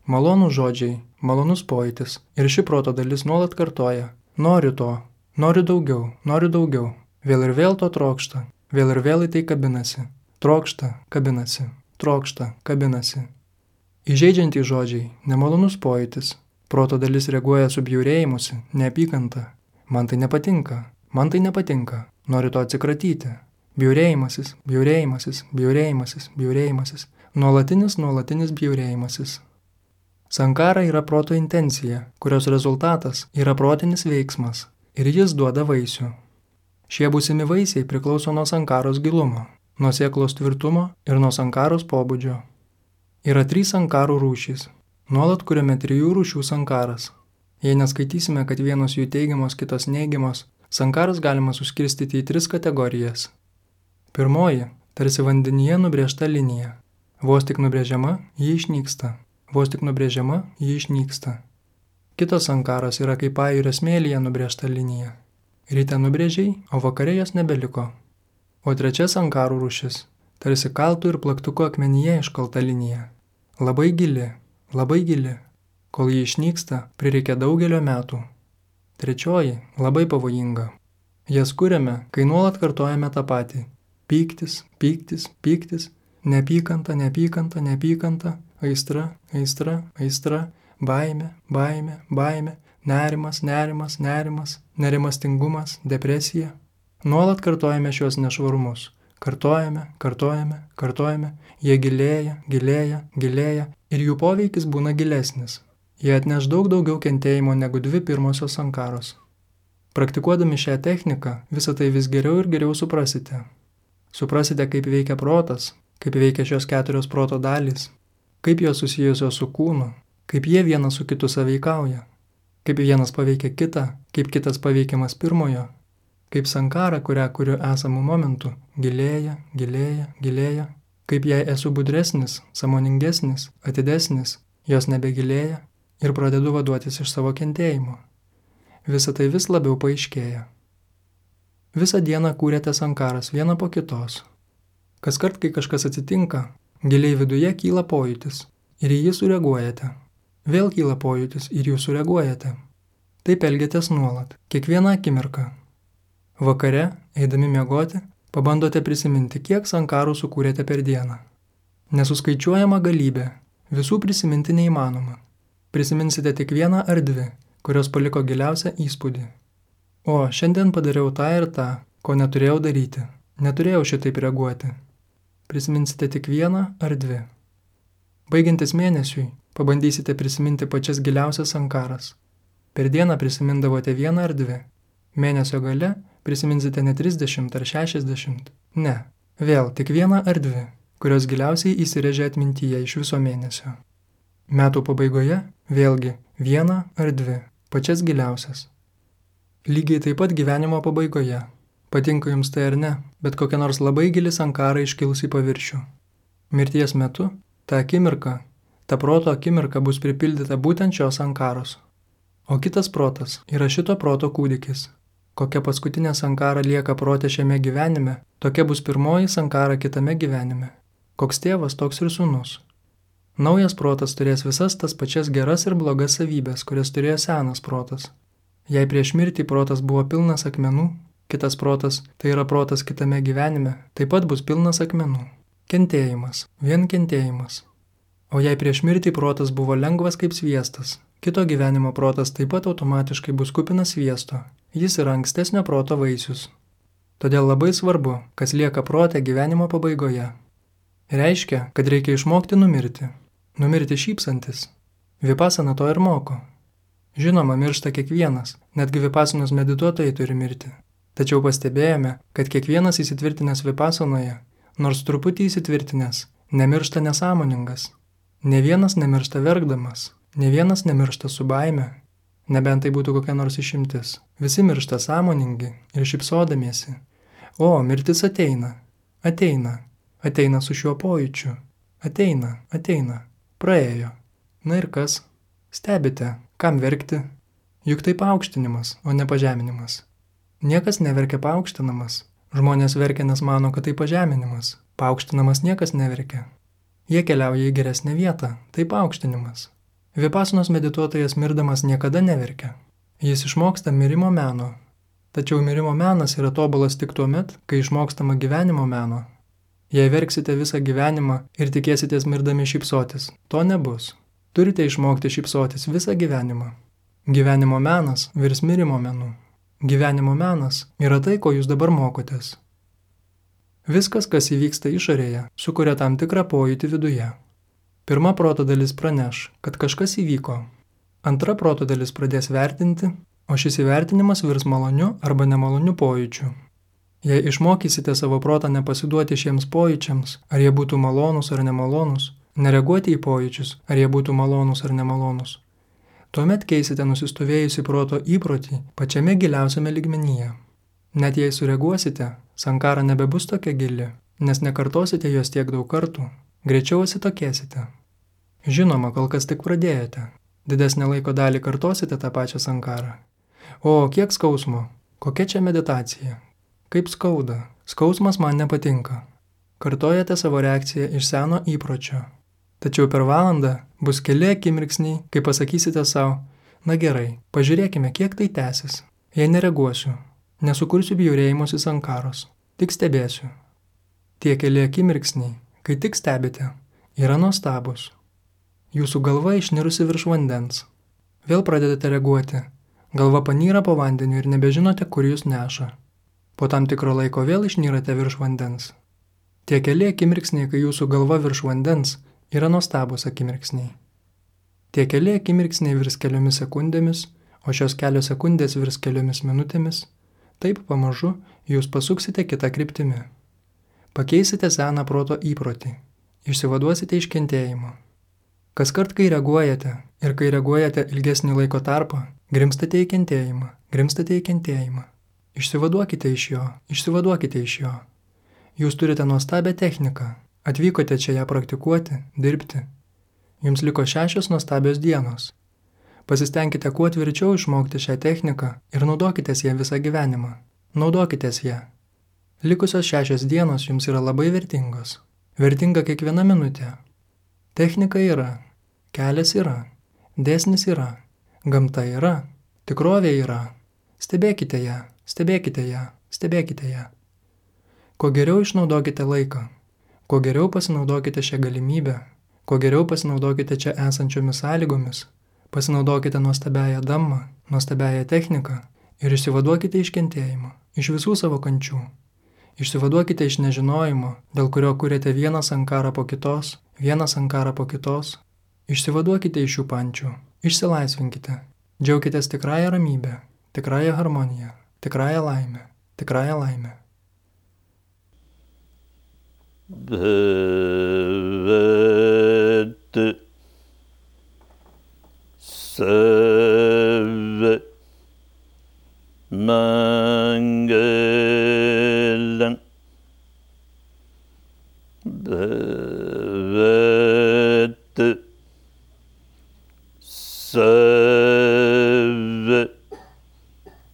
Malonūs žodžiai, malonus pojūtis ir ši proto dalis nuolat kartoja. Noriu to, noriu daugiau, noriu daugiau. Vėl ir vėl to trokšta, vėl ir vėl į tai kabinasi. Trokšta, kabinasi, trokšta, kabinasi. Įžeidžiantys žodžiai, nemalonus pojūtis. Proto dalis reaguoja su bjaurėjimusi, neapykanta. Man tai nepatinka, man tai nepatinka, noriu to atsikratyti. Bjaurėjimasis, bjaurėjimasis, bjaurėjimasis, bjaurėjimasis. Nuolatinis, nuolatinis bjaurėjimasis. Sankara yra proto intencija, kurios rezultatas yra protinis veiksmas ir jis duoda vaisių. Šie būsimi vaisiai priklauso nuo sankaros gilumo, nuo sėklos tvirtumo ir nuo sankaros pobūdžio. Yra trys sankarų rūšys. Nuolat kuriame trijų rūšių sankaras. Jei neskaitysime, kad vienos jų teigiamos, kitos neigiamos, sankaras galima suskirstyti į tris kategorijas. Pirmoji – tarsi vandenyje nubrėžta linija. Vos tik nubrėžiama, ji išnyksta. Vos tik nubrėžiama, ji išnyksta. Kitas sankaras yra kaip pajūrio smėlyje nubrėžta linija. Ryte nubrėžiai, o vakare jos nebeliko. O trečia sankarų rūšis, tarsi kaltų ir plaktuko akmenyje iškalta linija. Labai gili, labai gili. Kol ji išnyksta, prireikia daugelio metų. Trečioji, labai pavojinga. Jas kuriame, kai nuolat kartojame tą patį. Pyktis, pyktis, pyktis, neapykanta, neapykanta, neapykanta, aistra, aistra, aistra, baimė, baimė, baimė, nerimas, nerimas, nerimas, nerimastingumas, depresija. Nuolat kartojame šios nešvarumus. Kartojame, kartojame, kartojame, jie gilėja, gilėja, gilėja ir jų poveikis būna gilesnis. Jie atneš daug daugiau kentėjimo negu dvi pirmosios sankaros. Praktikuodami šią techniką, visą tai vis geriau ir geriau suprasite. Suprasite, kaip veikia protas, kaip veikia šios keturios proto dalys, kaip jos susijusios su kūnu, kaip jie vienas su kitu sąveikauja, kaip vienas paveikia kitą, kaip kitas paveikiamas pirmojo, kaip sankara, kurią kuriu esamų momentų, gilėja, gilėja, gilėja, kaip jei esu budresnis, sąmoningesnis, atidesnis, jos nebegilėja ir pradedu vaduotis iš savo kentėjimo. Visa tai vis labiau paaiškėja. Visą dieną kūrėte sankaras vieną po kitos. Kaskart, kai kažkas atsitinka, giliai viduje kyla pojūtis ir į jį sureaguojate. Vėl kyla pojūtis ir jūs sureaguojate. Taip elgiatės nuolat, kiekvieną akimirką. Vakare, eidami miegoti, pabandote prisiminti, kiek sankarų sukūrėte per dieną. Nesuskaičiuojama galybė, visų prisiminti neįmanoma. Prisiminsite tik vieną ar dvi, kurios paliko giliausią įspūdį. O, šiandien padariau tą ir tą, ko neturėjau daryti. Neturėjau šitaip reaguoti. Prisiminsite tik vieną ar dvi. Baigiantis mėnesiui, pabandysite prisiminti pačias giliausias sankaras. Per dieną prisimindavote vieną ar dvi. Mėnesio gale prisiminsite ne trisdešimt ar šešiasdešimt. Ne, vėl tik vieną ar dvi, kurios giliausiai įsirėžė atmintyje iš viso mėnesio. Metų pabaigoje vėlgi vieną ar dvi, pačias giliausias. Lygiai taip pat gyvenimo pabaigoje. Patinka jums tai ar ne, bet kokia nors labai gili sankara iškils į paviršių. Mirties metu, ta akimirka, ta proto akimirka bus pripildyta būtent šios sankaros. O kitas protas yra šito proto kūdikis. Kokia paskutinė sankara lieka prote šiame gyvenime, tokia bus pirmoji sankara kitame gyvenime. Koks tėvas, toks ir sūnus. Naujas protas turės visas tas pačias geras ir blogas savybės, kurias turėjo senas protas. Jei prieš mirtį protas buvo pilnas akmenų, kitas protas, tai yra protas kitame gyvenime, taip pat bus pilnas akmenų. Kentėjimas, vien kentėjimas. O jei prieš mirtį protas buvo lengvas kaip sviestas, kito gyvenimo protas taip pat automatiškai bus kupinas sviesto. Jis yra ankstesnio proto vaisius. Todėl labai svarbu, kas lieka prote gyvenimo pabaigoje. Reiškia, kad reikia išmokti numirti. Numirti šypsantis. Vipasana to ir moko. Žinoma, miršta kiekvienas, netgi vipasanos medituotojai turi mirti. Tačiau pastebėjome, kad kiekvienas įsitvirtinęs vipasanoje, nors truputį įsitvirtinęs, nemiršta nesąmoningas. Ne vienas nemiršta verkdamas, ne vienas nemiršta su baime. Nebent tai būtų kokia nors išimtis. Visi miršta sąmoningi ir šypsodamiesi. O, mirtis ateina, ateina, ateina su šiuo pojūčiu. Ateina, ateina, praėjo. Na ir kas? Stebite, kam verkti? Juk tai paaukštinimas, o ne pažeminimas. Niekas neverkia paaukštinamas. Žmonės verkia, nes mano, kad tai pažeminimas. Paaukštinamas niekas neverkia. Jie keliauja į geresnę vietą, tai paaukštinimas. Vipasanos medituotojas mirdamas niekada neverkia. Jis išmoksta mirimo meno. Tačiau mirimo menas yra tobulas tik tuo met, kai išmokstama gyvenimo meno. Jei verksite visą gyvenimą ir tikėsitės mirdami šypsotis, to nebus. Turite išmokti šypsotis visą gyvenimą. Gyvenimo menas virs mirimo menu. Gyvenimo menas yra tai, ko jūs dabar mokotės. Viskas, kas įvyksta išorėje, sukuria tam tikrą pojūtį viduje. Pirma proto dalis praneš, kad kažkas įvyko. Antra proto dalis pradės vertinti, o šis įvertinimas virs maloniu arba nemaloniu pojūčiu. Jei išmokysite savo protą nepasiduoti šiems pojūčiams, ar jie būtų malonus ar nemalonus, nereaguoti į pojūčius, ar jie būtų malonus ar nemalonus, tuomet keisite nusistovėjusi proto įprotį pačiame giliausiame lygmenyje. Net jei sureaguosite, sankara nebebus tokia gili, nes nekartosite jos tiek daug kartų, greičiau atsitokėsite. Žinoma, kol kas tik pradėjote. Didesnę laiko dalį kartosite tą pačią sankarą. O, kiek skausmo, Kokia čia meditacija? Kaip skauda? Skausmas man nepatinka. Kartojate savo reakciją iš seno įpročio. Tačiau per valandą bus keli akimirksniai, kai pasakysite savo, na gerai, pažiūrėkime, kiek tai tęsis. Jei nereaguosiu, nesukursiu bjaurėjimosi sankaros, tik stebėsiu. Tie keli akimirksniai, kai tik stebite, yra nuostabus. Jūsų galva išnirusi virš vandens. Vėl pradedate reaguoti. Galva panyra po vandeniu ir nebežinote, kur jūs neša. Po tam tikro laiko vėl išnyrate virš vandens. Tie keli akimirksniai, kai jūsų galva virš vandens, yra nuostabus akimirksniai. Tie keli akimirksniai virs keliomis sekundėmis, o šios kelios sekundės virs keliomis minutėmis. Taip pamažu jūs pasuksite kitą kryptimį. Pakeisite seną proto įprotį. Išsivaduosite iš kentėjimo. Kaskart, kai reaguojate ir kai reaguojate ilgesnį laiko tarpą, grimstate į kentėjimą, grimstate į kentėjimą. Išsivaduokite iš jo, išsivaduokite iš jo. Jūs turite nuostabią techniką. Atvykote čia ją praktikuoti, dirbti. Jums liko šešios nuostabios dienos. Pasistengkite kuo tvirčiau išmokti šią techniką ir naudokitės ją visą gyvenimą. Naudokitės ją. Likusios šešios dienos jums yra labai vertingos. Vertinga kiekviena minutė. Technika yra, kelias yra, dėsnis yra, gamta yra, tikrovė yra. Stebėkite ją, stebėkite ją, stebėkite ją. Kuo geriau išnaudokite laiką, kuo geriau pasinaudokite šią galimybę, kuo geriau pasinaudokite čia esančiomis sąlygomis, pasinaudokite nuostabiąją dammą, nuostabiąją techniką ir išsivaduokite iš kentėjimo, iš visų savo kančių. Išsivaduokite iš nežinojimo, dėl kurio kuriate vieną sankarą po kitos, vieną sankarą po kitos. Išsivaduokite iš šių pančių, išsilaisvinkite, džiaukitės tikrąją ramybę, tikrąją harmoniją, tikrąją laimę, tikrąją laimę. Bhavad Sarva Mangalam Bhavad Sarva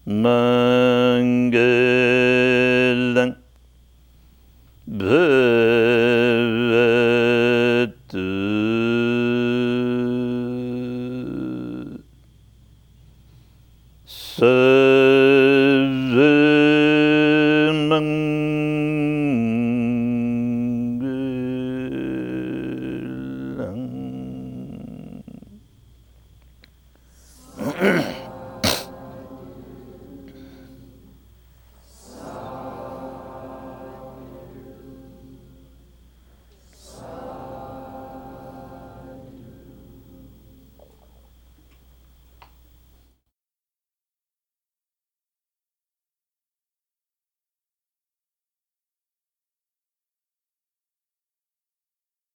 Mangalam